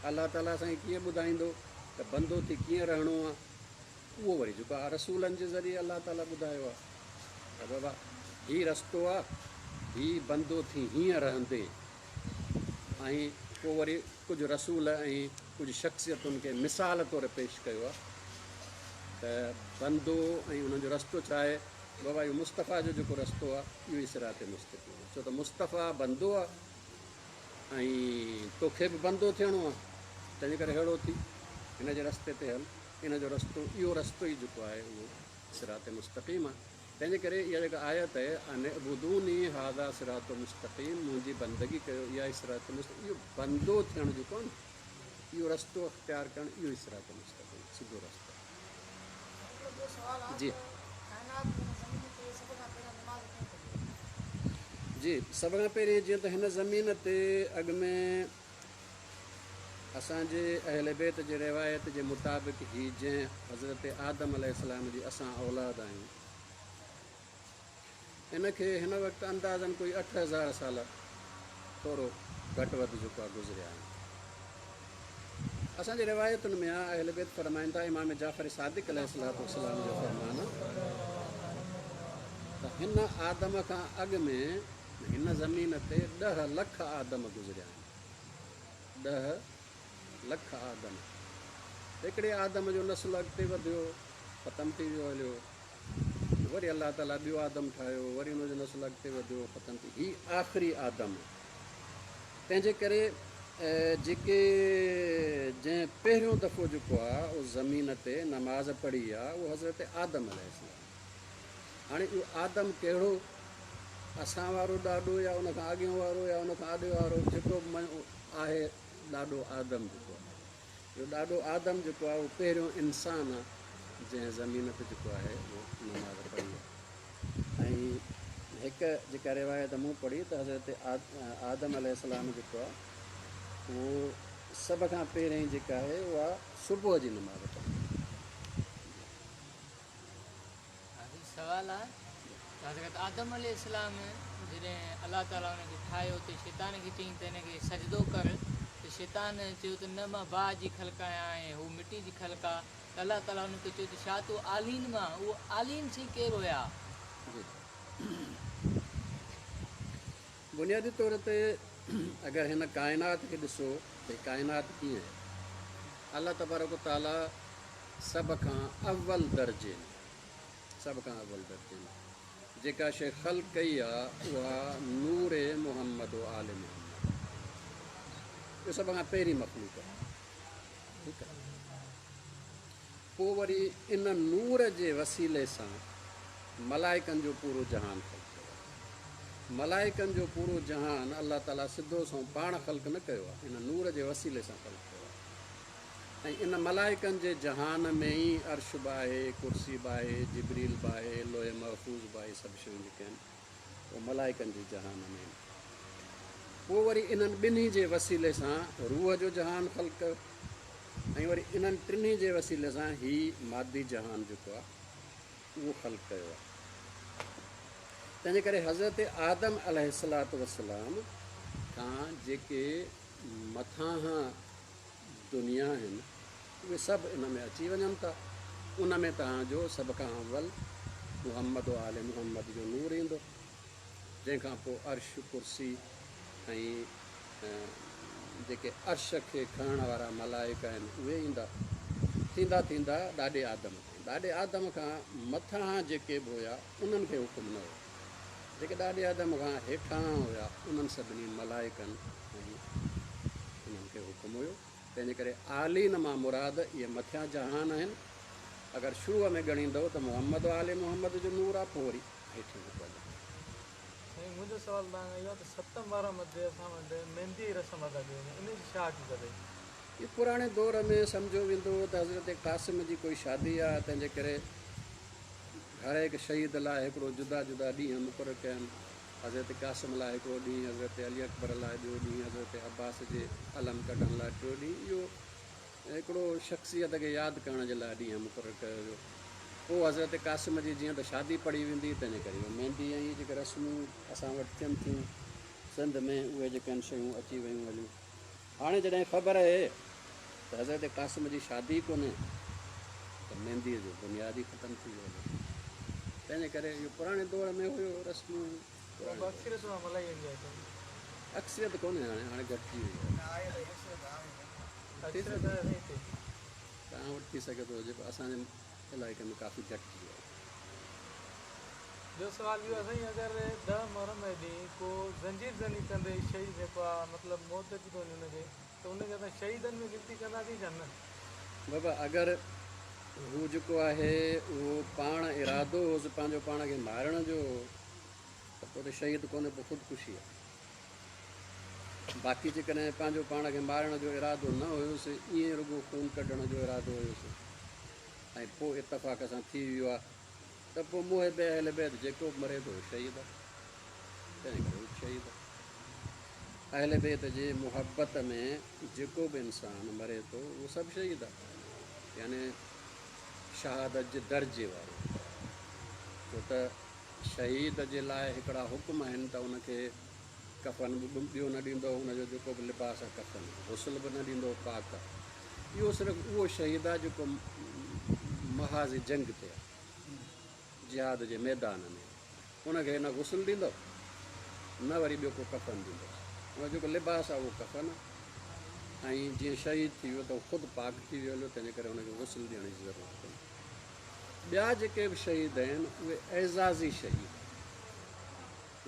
A: الله تعاليٰ اسان کي ڪيئن ٻڌائيندو ته بندو ٿي ڪيئن رهڻو آهي؟ اهو وري جيڪو آهي رسولن جي ذريعي الله تعاليٰ ٻڌايو آهي ته بابا هيءُ رستو آهي، هيءُ بندو ٿي هيئن رهندي. ۽ پوءِ وري ڪجهه رسول ۽ ڪجهه شخصيتن کي مثال طور پيش ڪيو آهي ته بندو ۽ انهن جو رستو ڇا آهي؟ بابا اهو مصطفيٰ جو جيڪو رستو آهي اهو ئي صراط مستقيم آهي. ڇو ته مصطفيٰ بندو آهي ۽ توکي به بندو ٿيڻو آهي، تنهن جي ڪري اهڙو ٿي هن جي رستي تي هل. ان جو رستو اهو رستو ئي جيڪو آهي اهو صراط مستقيم آهي. تنهن جي ڪري اها جيڪا آيت آهي ان عبدوني هذا صراط مستقيم، منهنجي بندگي ڪيو اها ئي صراط مستقيم. اهو بندو ٿيڻ جيڪو آهي نه، اهو رستو اختيار ڪرڻ اهو ئي صراط مستقيم، سڌو رستو. جي جي سڀ کان پهرين جيئن ته هن زمين تي اڳ ۾ اسان جي اهل بيت جي روايت جي مطابق هي جنهن حضرت آدم عليه جي اسان اولاد آهيون، ان کي هن وقت اندازن ڪوئي اٺ هزار سال ٿورو گهٽ وڌ جيڪو آهي گذريا آهن. اسان جي روايتن ۾ آهي اهل بيت فرمائن ٿا، امام جعفر صادق عليه السلام جو فرمان آهي ته هن آدم کان اڳ ۾ هن زمين تي ڏهه لک آدم گذريا آهن. ڏهه لک آدم. هڪڙي آدم جو نسل اڳتي وڌيو، ختم ٿي ويو هليو. وري الله تعاليٰ ٻيو آدم ٺاهيو، وري هن جو نسل اڳتي وڌيو، ختم ٿي. هيءُ آخري آدم. تنهن جي ڪري جيڪي جنهن پهريون دفعو جيڪو آهي اهو زمين تي نماز پڙهي آهي اهو حضرت آدم عليه. هاڻي اهو آدم ڪهڙو؟ اسان وارو ڏاڏو يا ان کان اڳيون وارو يا ان کان آڏي وارو؟ جيڪو به آهي ڏاڏو آدم جيڪو آهي، اهو ڏاڏو آدم جيڪو آهي اهو پهريون انسان آهي جنهن زمين تي جيڪو آهي اهو نماز پڙهي آهي. ۽ هڪ جيڪا روايت مون پڙهي ته حضرت آدم عليه جيڪو آهي اهو سڀ کان پهرين جيڪا آهي اها صبح جي نماز پڙهي.
D: سوال آهي ته حضرت آدم عليه السلام جڏهن الله تعاليٰ هن کي ٺاهيو ته شيطان کي چيائين ته هن کي سجدو ڪر، ته شيطان چيو ته نه مان باهه جي خلق آهيان ۽ هو مٽي جي خلق آهي. ته الله تعاليٰ هن کي چيو ته ڇا تون آلين مان؟ اهو آلين سائين ڪير هئا؟
A: جي بنيادي طور تي اگر هن ڪائنات کي ڏسو ته ڪائنات ڪيئن آهي، الله تبارڪ و تعاليٰ سڀ کان اول درجي ۾ سڀ کان اول درجي ۾ جيڪا شيءِ خلق ڪئي آهي اها نور محمد و آل محمد، اهو سڀ کان پهرين مخلوق آهي. ٺيڪ آهي. پوءِ وري ان نور جي وسيلي سان ملائڪن جو پورو جهان خلق ڪيو آهي. ملائڪن جو پورو جهان الله تعاليٰ سڌو سان پاڻ خلق نه ڪيو آهي، ان نور جي وسيلي سان خلق ڪيو آهي. ۽ ان ملائڪن جي جهان ۾ ئي عرش به آهي، ڪرسي به آهي، جبريل به آهي، لوح محفوظ به آهي، سڀ شيون جيڪي آهن اهي ملائڪن جي جهان ۾ آهن. پوءِ وري انهن ٻنهي جي وسيلي سان روح جو جهان خلق ڪيو ۽ وري انهن ٽنهي جي وسيلي سان هي مادي جهان جيڪو آهي اهو خلق ڪيو آهي. تنهن جي ڪري حضرت آدم عليه الصلوة والسلام کان جيڪي مٿان دنيا آهن اهي سڀ ان ۾ اچي وڃن ٿا. ان ۾ توهان جو سڀ کان اول محمد و آل محمد جو نور ايندو، جنهن کان پوءِ عرش ڪرسي ۽ جيڪي عرش کي کڻڻ وارا ملائڪ آهن اهي ايندا. ٿيندا ٿيندا ڏاڏي آدم تائين. ڏاڏي آدم کان مٿان جيڪي به هئا انهن کي حڪم نه هيو، جيڪي ڏاڏي آدم کان هيٺان هئا انهن سڀني ملائڪن ۽ انهن کي حڪم هيو. تنهن جي ڪري عالين مان مراد اهي مٿيان جهان آهن. اگر شروع ۾ ڳڻيندؤ ته محمد آل محمد جو نور آهي، پوءِ وري هيٺ جيڪو آهي.
E: سائين منهنجو سوال توهان کان اهو آهي ته ست محرم تي اسان وٽ مهندي جي رسم ادا ڪئي وڃي، ان جي ڇا حقيقت آهي؟
A: اهو پراڻي دور ۾ سمجهيو ويندو هو ته حضرت قاسم جي ڪوئي شادي آهي، تنهن جي ڪري هر هڪ شهيد لاءِ هڪڙو جدا جدا ڏينهن مقرر ڪيا آهن. حضرت قاسم لاءِ هڪڙو ڏينهن، حضرت علي اڪبر لاءِ ٻيو ڏينهن، حضرت عباس جي علم ڪڍڻ لاءِ ٽيون ڏينهن. اهو هڪڙو شخصيت کي ياد ڪرڻ جي لاءِ ڏينهن مقرر ڪيو ويو. پوءِ حضرت قاسم جي جيئن ته شادي پڙهي ويندي، تنهن جي ڪري اهو مهندي ۽ اهي جيڪي رسمون اسان وٽ ٿين ٿيون سنڌ ۾ اهي جيڪي آهن شيون اچي ويون هليون. هاڻي جڏهن خبر آهي ته حضرت قاسم جي شادي ڪونهي ته مهنديءَ جو بنياد ئي ختم ٿي ويو هليو. تنهن جي ڪري اهو پراڻي دور ۾ هيو رسمون.
E: اڪثريت مان ملائي ويندي آهي.
A: اڪثريت ڪونهي، هاڻي هاڻي گهٽجي وئي آهي.
E: اڪثريت آهي
A: توهان وٽ ٿي سگهي ٿو هجي، پر اسان جي علائقي ۾ ڪافي گهٽجي ويو آهي.
E: ٻيو سوال اهو آهي سائين، اگر ڏهه محرم جي ڏينهن ڪو زنجير زني ڪندي شهيد جيڪو آهي مطلب موت اچي ٿو وڃي هن کي، ته ان کي اسان شهيدن ۾ ڳڻتي ڪنداسين يا نه؟
A: بابا اگر هو جيڪو آهي اهو پاڻ ارادو هوس پنهنجو پاڻ کي مارڻ جو ته پوءِ ته شهيد ڪونهي، پوءِ خودڪشي آهي. باقي جيڪڏهن پنهنجو پاڻ کي مارڻ جو ارادو نه هيس، ائين رڳو خون ڪڍڻ جو ارادو هيس ۽ پوءِ اتفاق سان ٿي ويو آهي ته پوءِ محب اهل بيت جيڪو به مري ٿو شهيد آهي، تنهن ڪري هو شهيد آهي. اهل بيت جي محبت ۾ جيڪو به انسان مري ٿو اهو سڀ شهيد آهي، يعني شهادت جي درجي وارو. ڇو ته شهيد جي لاءِ هڪڙا حڪم آهن ته ان کي ڪفن به ٻيو نه ڏيندو، هن جو جيڪو به لباس آهي ڪفن، غسل به نه ڏيندو، پاڪ آهي. اهو صرف اهو شهيد آهي جيڪو محاذ جنگ تي آهي، جهاد جي ميدان ۾. ان کي نه غسل ڏيندو نه وري ٻيو ڪو ڪفن ڏيندو، هن جو جيڪو لباس آهي اهو ڪفن آهي. ۽ جيئن شهيد ٿي ويو ته اهو خود پاڪ ٿي ويو هليو، تنهن جي ڪري هن کي غسل ڏيڻ جي ضرورت ڪونهي. ٻيا جيڪي به شهيد آهن اهي اعزازي شهيد،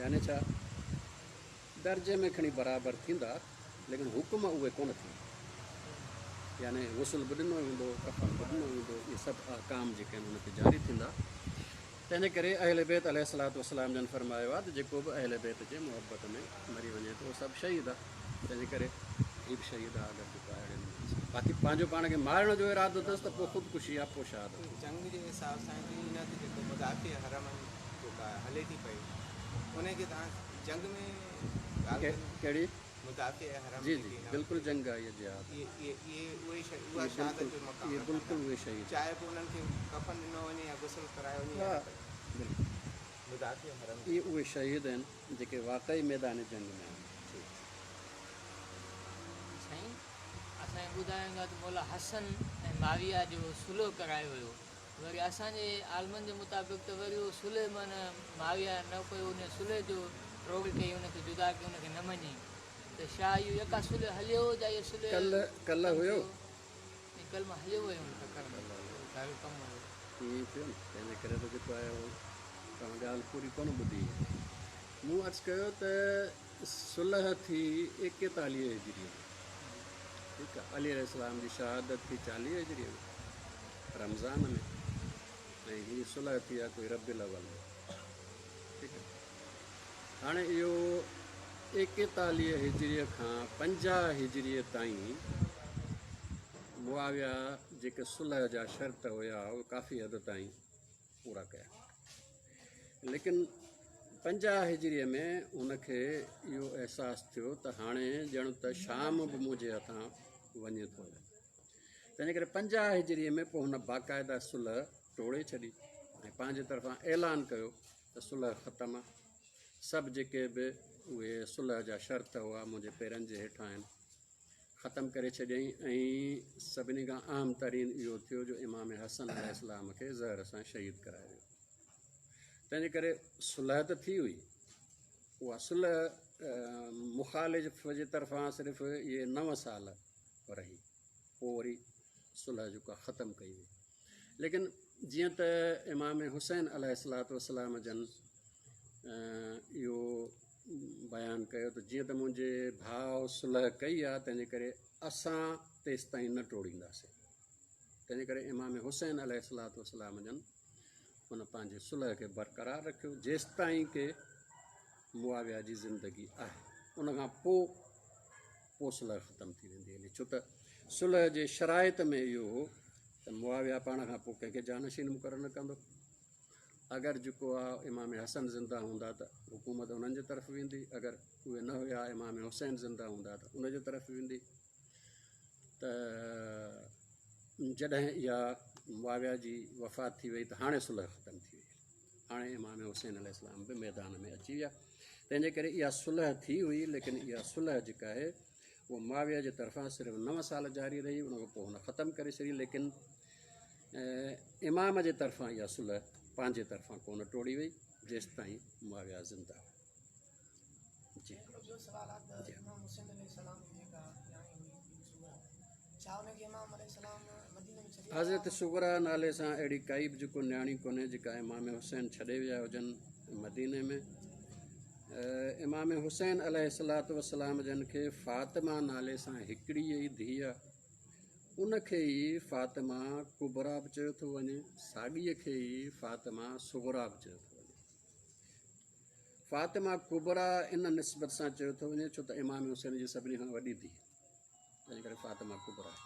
A: يعني ڇا درجي ۾ کڻي برابر ٿيندا ليڪن حڪم اهي ڪونه ٿيندا، يعني غسل به ڏنو ويندو، ڪفن به ڏنو ويندو، اهي سڀ احڪام جيڪي آهن هن تي جاري ٿيندا. تنهن جي ڪري اهل بيت عليه الصلوة والسلام جن فرمايو آهي ته جيڪو به اهل بيت جي محبت ۾ مري وڃي ٿو اهو سڀ شهيد آهي. تنهن جي ڪري هيءُ به شهيد آهي اگر جيڪو آهي اهڙي نموني سان. باقي پنهنجو پاڻ کي مارڻ جو ارادو اٿس ته پوءِ خودڪشي آهي، پوءِ شهادت.
C: جنگ جي حساب سان هن تي جيڪو مدافع حرم جيڪا هلي ٿي پئي ان کي توهان جنگ ۾
A: ڪهڙي
C: مدافع حرم؟
A: جي جي بلڪل جنگ آهي، اها جهاد.
C: اهي اهي اهي اها شهادت جو مقام،
A: اهي بلڪل اهي شهيد،
C: چاهي پوءِ انهن کي ڪفن ڏنو وڃي يا غسل ڪرايو وڃي.
A: ها بلڪل
C: مدافع حرم
A: اهي اهي شهيد آهن جيڪي واقعي ميدان جنگ ۾ آهن.
D: سائين اسان کي ٻڌايو ويندو آهي ته مولا حسن ۽ معاويه جو صلح ڪرايو ويو، وري اسان جي عالمن جي مطابق ته وري اهو صلح معنيٰ معاويه نه ڪيو، ان صلح جو ٽوڙ ڪئي ان کي جدا ڪئي ان کي نه مڃي ته ڇا اهو يڪا صلح هليو يا اهو صلح
A: ڪلهه ڪلهه هيو؟
D: ڪلهه مان هليو ويو هيم ٽڪر ۾ گهر ڪم هيو.
A: ائين ٿيو نه تنهن جي ڪري ته جيڪو آهي اهو توهان ڳالهه پوري ڪونه ٻڌي. مون عرض ڪيو ته صلح ٿي ايڪيتاليهه هجريء ۾ ٺيڪ آهي علي عليه السلام جي شهادت ٿي چاليهه هجريء ۾ رمضان ۾ ۽ هي صلح ٿي آهي ڪوئي ربيع الاول ۾ ٺيڪ آهي. هاڻي اهو ايڪيتاليهه هجريء کان پنجاهه هجريء تائين معاويه جيڪي صلح جا شرط هيا اهي ڪافي حد تائين پورا ڪيا ليڪن پنجاهه هجريء ۾ هن کي اهو احساس ٿيو ته هاڻي ڄڻ ته شام به منهنجي هٿان وڃي ٿو. تنهن ڪري پنجاهه هجريء ۾ پوءِ هن باقاعده صلح ٽوڙي ڇڏي ۽ پنهنجي طرفان اعلان ڪيو ته صلح ختم آهي سڀ جيڪي به اهي صلح جا شرط هئا منهنجي پيرن جي هيٺان آهن ختم ڪري ڇڏيائين. ۽ سڀني کان اهم ترين اهو ٿيو جو امام حسن عليه السلام کي زهر سان شهيد ڪرايو ويو. تنهن جي ڪري صلح ته ٿي هئي اها صلح مخالف جي طرفان صرف اهي نو سال رهي پوءِ وري صلح جيڪو آهي ختم ڪئي وئي. ليڪن جيئن ته امام حسين عليه السلام جن اهو بيان ڪيو ته جيئن ته منهنجي ڀاءُ صلح ڪئي آهي تنهن جي ڪري اسان تيس تائين نه ٽوڙينداسين. تنهن جي ڪري امام حسين عليه السلام جن هن پنهنجي صلح کي برقرار رکيو جيس تائين ڪه معاويه جي زندگي آهي. ان کان پوءِ پوءِ صلح ختم ٿي ويندي هلي ڇو ته صلح جي شرائط ۾ اهو هو ته معاويه پاڻ کان پوءِ ڪنهن کي جانشين مقرر نه ڪندو. اگر جيڪو آهي امام حسن زنده هوندا ته حڪومت انهن جي طرف ويندي اگر اهي نه هئا امام حسين زنده هوندا ته ان جي طرف ويندي. ته جڏهن اها معاويه جي وفات ٿي وئي ته هاڻي صلح ختم ٿي وئي. هاڻي امام حسين عليه السلام به ميدان ۾ اچي ويا. تنهن جي ڪري اها صلح ٿي هئي ليڪن اها صلح جيڪا آهي اها معاويه جي طرفان صرف نو سال جاري رهي ان کان پوءِ هن ختم ڪري ڇڏي. ليڪن امام جي طرفان اها صلح پنهنجي طرفان ڪونه ٽوڙي وئي جيس تائين معاويه زنده هو. جي
F: ٻيو سوال آهي ته امام حسين عليه السلام جي جيڪا نياڻي هئي صغرا ڇا ان کي امام عليه السلام مديني ۾ ڇڏي
A: حضرت صغرا نالي سان اهڙي ڪائي به جيڪو نياڻي ڪونهي جيڪا امام حسين ڇڏي ويا هجن مديني ۾. امام حسين عليه السلام جن کي فاطمه نالي سان هڪڙي ئي ڌيءَ آهي ان کي ئي فاطمه ڪبريٰ به چيو ٿو وڃي ساڳيءَ کي ئي فاطمه صغرا به چيو ٿو وڃي. فاطمه ڪبريٰ ان نسبت سان چيو ٿو وڃي ڇو ته امام حسين جي سڀني کان وڏي ڌيءَ تنهن ڪري فاطمه ڪبريٰ آهي.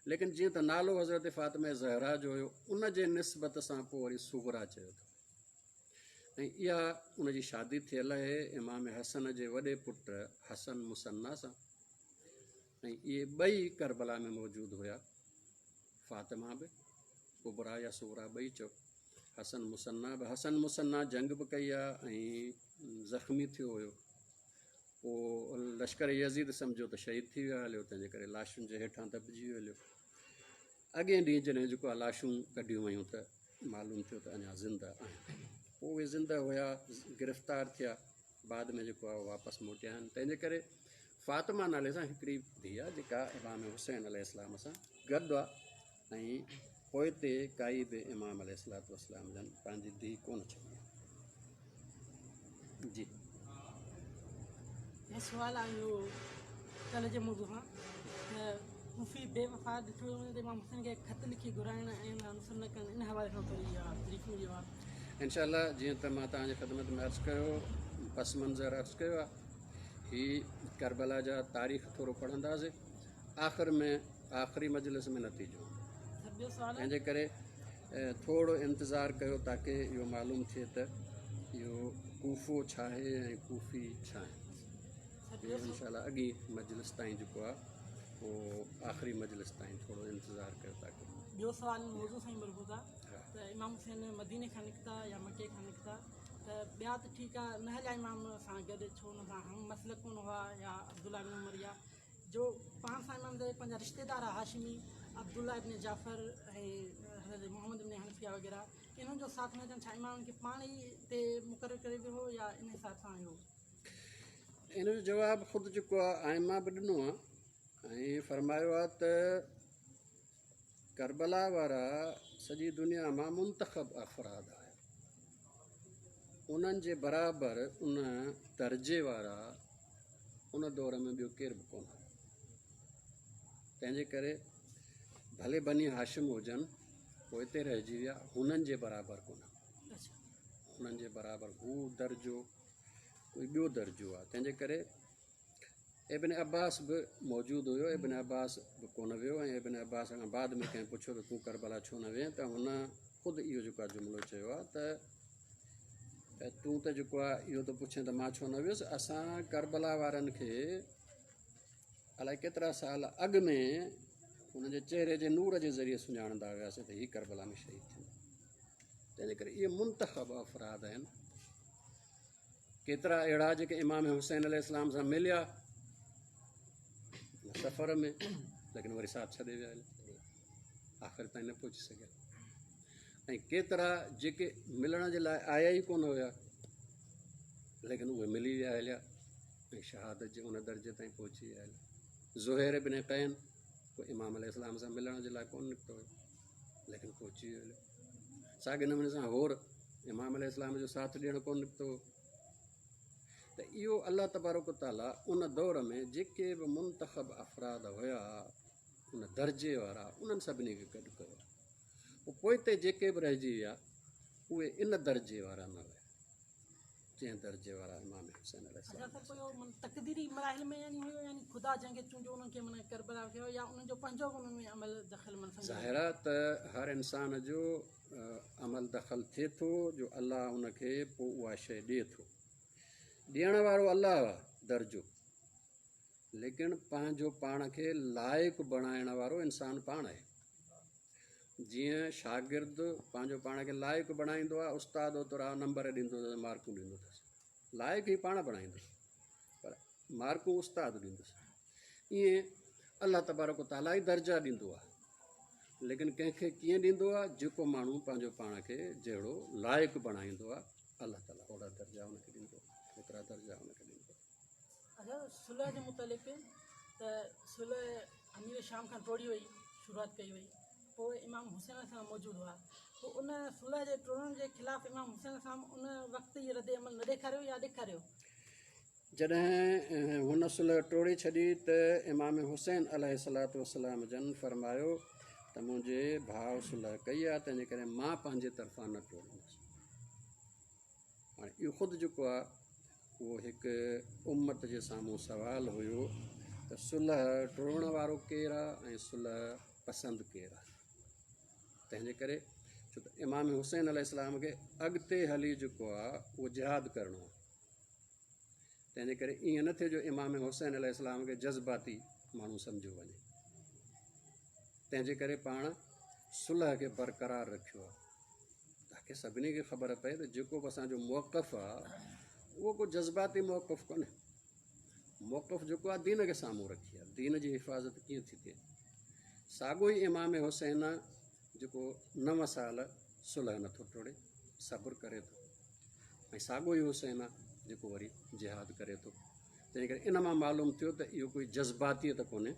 A: ليڪن جيئن ته نالو حضرت فاطمه زهرا جو هيو ان جي نسبت سان پوءِ وري صغرا چيو ٿو. ۽ اها ان جي شادي ٿيل آهي امام حسن جي وڏي پٽ حسن مثنيٰ سان ۽ اهي ٻئي ڪربلا ۾ موجود هئا. فاطمه به ڪبريٰ يا صغرا ٻئي چئو حسن مثنيٰ به. حسن مثنيٰ جنگ به ڪئي آهي ۽ زخمي ٿيو هيو. پوءِ لشڪر يزيد سمجهو ته شهيد ٿي ويو هليو تنهن جي ڪري لاشن جي هيٺان دٻجي ويو هليو. اڳئين ڏينهن جڏهن جيڪو آهي لاشون ڪڍيون ويون ته معلوم ٿيو ته اڃا زنده آهن. پوءِ اهي زنده هئا گرفتار ٿيا بعد ۾ جيڪو آهي واپس موٽيا آهن. تنهن جي ڪري فاطمه نالي سان هڪڙي ڌيءَ آهي جيڪا امام حسين عليه السلام سان گڏ آهي ۽ پوءِ تي ڪائي به امام عليه السلام جن پنهنجي ڌيءَ ڪونه ڇڏي آهي. جي
F: سوال آهي اهو ڪلهه جي موضوع کان ته ڪوفي بيوفا ڏٺو وڃي ته امام حسين کي خط لکي گهرائڻ ۽ ان انوسر نه ڪرڻ ان حوالي سان ٿوري اها بريفنگ ڏيو آهي.
A: انشا جيئن ته مان توهان جي خدمت ۾ عرض ڪيو پس منظر عرض ڪيو آهي هي ڪربلا جا تاريخ ٿورو پڙهنداسين آخر ۾ آخري مجلس ۾ نتيجو. تنهن جي ڪري ٿورو انتظار ڪيو تاڪه اهو معلوم ٿئي ته اهو ڪوفو ڇا آهي ۽ ڪوفي ڇا آهي. انشا اڳي مجلس تائين جيڪو آهي اهو آخري مجلس تائين ٿورو انتظار ڪيو تاڪه.
F: ٻيو سوال موضوع سان ئي مربوط آهي ته امام حسين مديني کان نڪتا يا مڪي کان نڪتا ته ٻيا ته ٺيڪ آهي نه هليا امام سان گڏ ڇو هن سان هم مسلڪ ڪونه هئا يا عبدالله بن عمر يا جو پاڻ سان امام جا پنهنجا رشتيدار هاشمي عبدالله ابن جعفر ۽ حضرت محمد ابن حنفيه وغيره انهن جو ساٿ نه اچڻ ڇا امامن کي پاڻ ئي تي مقرر ڪري ويو هو يا ان حساب سان هيو؟
A: ان جو جواب خود جيڪو آهي ائمه به ڏنو آهي ۽ فرمايو آهي ته ڪربلا وارا سڄي دنيا مان منتخب افراد آهن، انهن جي برابر ان درجي وارا ان دور ۾ ٻيو ڪير به ڪونه هو. تنهن جي ڪري ڀلي بني هاشم هجن پوئتي رهجي ويا، هنن جي برابر ڪونه، هنن جي برابر هو درجو ڪوئي ٻيو درجو آهي. تنهن جي ڪري ابن عباس به موجود هيو، ابن عباس به ڪونه ويو ۽ ابن عباس کان بعد ۾ ڪنهن پڇيو ته تون ڪربلا ڇو نه وئين ته هن خود اهو جيڪو آهي جملو چيو آهي ته تون ته جيڪو آهي اهو ٿو پڇين ته مان ڇو نه ويس، اسان ڪربلا وارن کي الائي ڪيترا سال اڳ ۾ هن جي چهري جي نور جي ذريعي سڃاڻندا هياسين ته هي ڪربلا ۾ شهيد ٿيندو. تنهن جي ڪري اهي منتخب افراد آهن. ڪيترا اهڙا جيڪي امام حسين عليه السلام سان مليا سفر ۾ ليڪن وري ساٿ ڇڏي ويا، آخر تائين نه پهچي سگهيا، ۽ ڪيترا جيڪي ملڻ جي لاءِ آيا ئي ڪونه هيا ليڪن اهي ملي ويا هليا ۽ شهادت جي ان درجي تائين پهچي ويا هليا. زهير بن قين ڪو امام عليه السلام سان ملڻ جي لاءِ ڪونه نڪتو هيو ليڪن پهچي ويو هليو. ساڳي نموني سان هور امام عليه السلام جو ساٿ ڏيڻ ڪونه نڪتو هو. ته اهو الله تبارڪ تعاليٰ ان دور ۾ جيڪي به منتخب افراد هيا ان درجي وارا انهن سڀني کي گڏ ڪيو. پوءِ پوئتي جيڪي به رهجي ويا اهي ان درجي وارا نه هيا جنهن درجي وارا امام حسين عليه السلام.
F: اڇا سر پوءِ تقديري مراحل ۾ يعني هيو يعني خدا جنهن کي چونڊيو انهن کي معنيٰ ڪربلا ٿيو يا انهن جو پنهنجو به انهن ۾ عمل دخل معنيٰ سمجهه
A: ظاهر آهي ته هر انسان جو عمل دخل ٿئي ٿو جو الله ان کي پوءِ اها شيءِ ڏئي ٿو. ڏيڻ وارو الله آهي درجو، ليڪن پنهنجو پاڻ کي لائق بڻائڻ وارو انسان پاڻ آهي. جيئن شاگرد پنهنجو پاڻ کي لائق بڻائيندو آهي، استاد اوترا نمبر ڏيندو اٿس، مارڪون ڏيندو اٿس، لائق ئي پاڻ بڻائيندو پر مارڪون استاد ڏيندس. ائين الله تبارڪ تعاليٰ ئي درجا ڏيندو آهي، ليڪن ڪنهن کي ڪيئن ڏيندو آهي؟ جيڪو ماڻهو پنهنجو پاڻ کي جهڙو لائق بڻائيندو آهي الله تعاليٰ اوهڙا درجا هن کي ڏيندو آهي، اوترا درجا هن کي ڏيندو آهي.
F: اڇا صلح جي متعلق ته صلح امير شام کان ٽوڙي وئي، شروعات ڪئي وئي، پوءِ امام حسين سان موجود هئا، پوءِ ان صلح جي ٽوڙڻ جي خلاف امام حسين سان ان وقت ئي رد عمل نه ڏيکاريو يا ڏيکاريو؟
A: جڏهن هن صلح ٽوڙي ڇڏي ته امام حسين عليه الصلوة والسلام جن فرمايو ته منهنجي ڀاءُ صلح ڪئي آهي تنهن جي ڪري مان پنهنجي طرفان نه ٽوڙيندس. هاڻي اهو خود جيڪو آهي اهو هڪ امت جي سامهون سوال هيو ته صلح ٽوڙڻ وارو ڪير آهي ۽ صلح پسند ڪير آهي. تنهن جي ڪري ڇو ته امام حسين عليه السلام کي اڳتي هلي جيڪو آهي اهو جهاد ڪرڻو آهي، تنهن جي ڪري ائين نه ٿئي جو امام حسين عليه السلام کي جذباتي ماڻهو سمجهيو وڃي. تنهن جي ڪري پاڻ صلح کي برقرار رکيو آهي تاڪه سڀني کي خبر پئي ته جيڪو به اسان جو موقف آهي اهو ڪو جذباتي موقف ڪونهي. موقف جيڪو آهي دين کي سامهون رکي آهي، دين جي حفاظت ڪيئن ٿي ٿئي. ساڳيو ئي امام حسين جيڪو نو سال صلح نٿو ٽوڙي، صبر ڪري ٿو، ۽ ساڳيو ئي حسين آهي جيڪو وري جهاد ڪري ٿو. تنهن ڪري ان مان معلوم ٿيو ته اهو ڪوئي جذباتيت ڪونهي،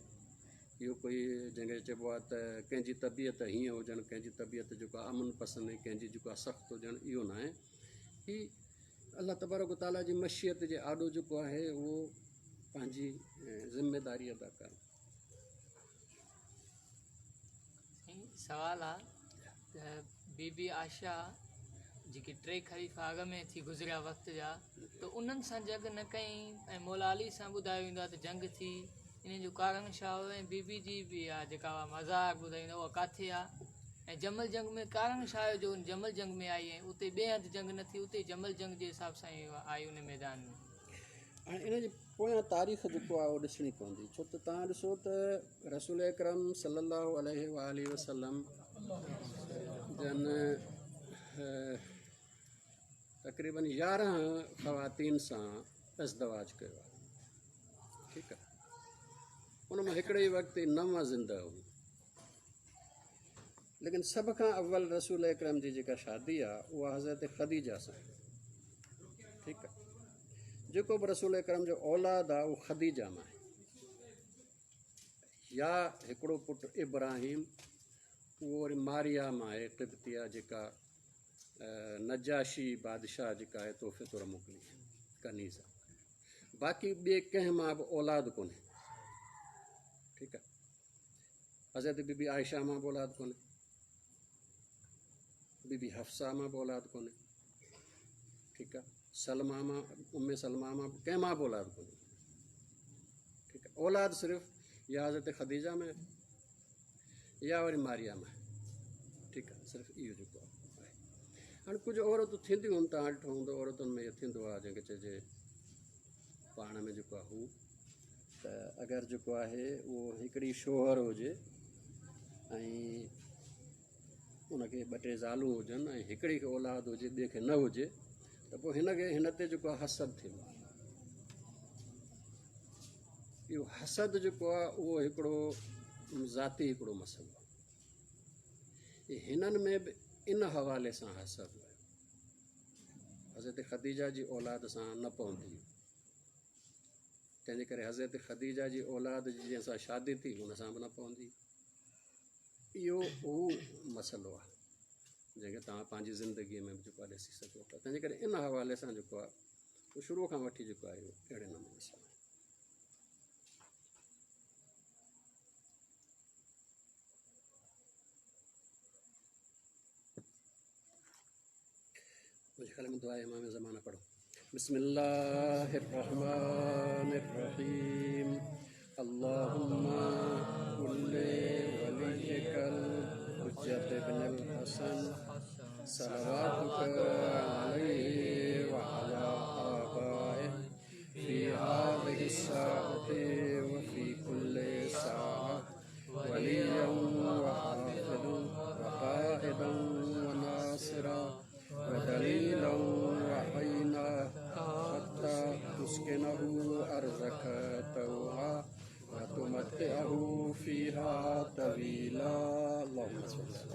A: اهو ڪوئي جنهن کي چئبو آهي ته ڪنهن جي طبيعت هيئن هجڻ، ڪنهن جي طبيعت جيڪو آهي امن پسند ۽ ڪنهن جي جيڪو آهي سخت هجڻ، اهو نه آهي. هي الله تبارڪ تعاليٰ جي مشيت جي آڏو جيڪو آهي اهو پنهنجي ذميداري ادا ڪرڻ.
D: سوال آهي ته بيبي عائشه جيڪي ٽي خليفا اڳ ۾ ٿي گذريا وقت جا، ته انهن سان جنگ نه ڪئي ۽ مولا علي سان ٻڌايو ويندو آهي ته جنگ ٿي، ان جو ڪارڻ ڇا هو؟ ۽ بيبي جي به آهي جيڪا مزار ٻڌائيندو اها ڪاٿي آهي؟ ۽ جمل جنگ ۾ ڪارڻ ڇا هيو جو جمل جنگ ۾ آئي ۽ اتي ٻئي هنڌ جنگ نه ٿي، اتي جمل جنگ جي حساب سان ئي آئي ان ميدان ۾؟
A: هاڻي ان جي پويان تاريخ جيڪو آهي اهو ڏسڻي پوندي، ڇو ته توهان ڏسو ته رسول اڪرم صلي الله عليه وآله وسلم جن تقريبن يارهن خواتين سان ازدواج ڪيو آهي، ٺيڪ آهي. ان مان هڪڙي ئي وقت نو زنده هيون، लेकिन सभ खां अव्वल रसूल अकरम जी जेका शादी आहे उहा हज़रत ख़दीजा सां। ठीकु आहे, जेको बि रसूल अकरम जो औलाद आहे उहो ख़दीजा मां आहे, या हिकिड़ो पुटु इब्राहिम उहो वरी मारिया मां आहे, क़िब्तिया जेका नजाशी बादशाह जेका आहे तोहफ़े तौर मोकिली कनीज़। बाक़ी ॿिए कंहिं मां बि औलाद कोन्हे। ठीकु आहे, हज़रत बीबी आयशा मां बि औलाद कोन्हे, बीबी हफ़सा मां बि औलाद कोन्हे। ठीकु आहे, सलमा मां, उम्मे सलमा मां कंहिं मां बि औलाद कोन्हे। ठीकु आहे, औलाद सिर्फ़ या हज़रत ख़दीजा में या वरी मारिया में। ठीकु आहे, सिर्फ़ इहो जेको आहे। हाणे कुझु औरतूं थींदियूं आहिनि, तव्हां ॾिठो हूंदो औरतुनि में इहो थींदो आहे, जंहिंखे चइजे पाण में जेको आहे हू त अगरि जेको आहे उहो हिकिड़ी शोहर हुजे ऐं उनखे ॿ टे ज़ालूं हुजनि ऐं हिकिड़ी खे औलाद हुजे ॿिए खे न हुजे, त पोइ हिनखे हिन ते जेको आहे हसद थींदो आहे। इहो हसद जेको आहे उहो हिकिड़ो ज़ाती हिकिड़ो मसइलो आहे। हिननि में बि इन हवाले सां हसद आयो, हज़रत ख़दीजा जी औलाद सां न पवंदी, तंहिंजे करे हज़रत ख़दीजा जी औलाद जी जंहिंसां शादी थी हुन सां बि न पवंदी। इहो उहो मसइलो आहे जंहिंखे तव्हां पंहिंजी ज़िंदगीअ में बि जेको आहे ॾिसी सघो था। तंहिंजे करे इन हवाले सां जेको आहे उहो शुरू खां वठी जेको आहे अहिड़े नमूने सां। मुंहिंजे ख़्याल में दुआ इमाम ज़माना पढ़ो। बिस्मिल्लाहिर्रहमानिर्रहीम। अल्लाहुम्मा कुल्ले वलिय्यिकल हुज्जत इब्नुल हसन सलवातुका अलैहि व अला आबाइहि फी हाज़िहि स्साअति व फी कुल्li साअ वलिय्यन व हाफ़िज़न व क़ाइदन व नासिरा व दलीलन व अयना हत्ता तुस्किनहु अर्ज़क तौआ व तुमत्तिअहु फीहा तवीला। अल्लाहुम्मा सल्लि।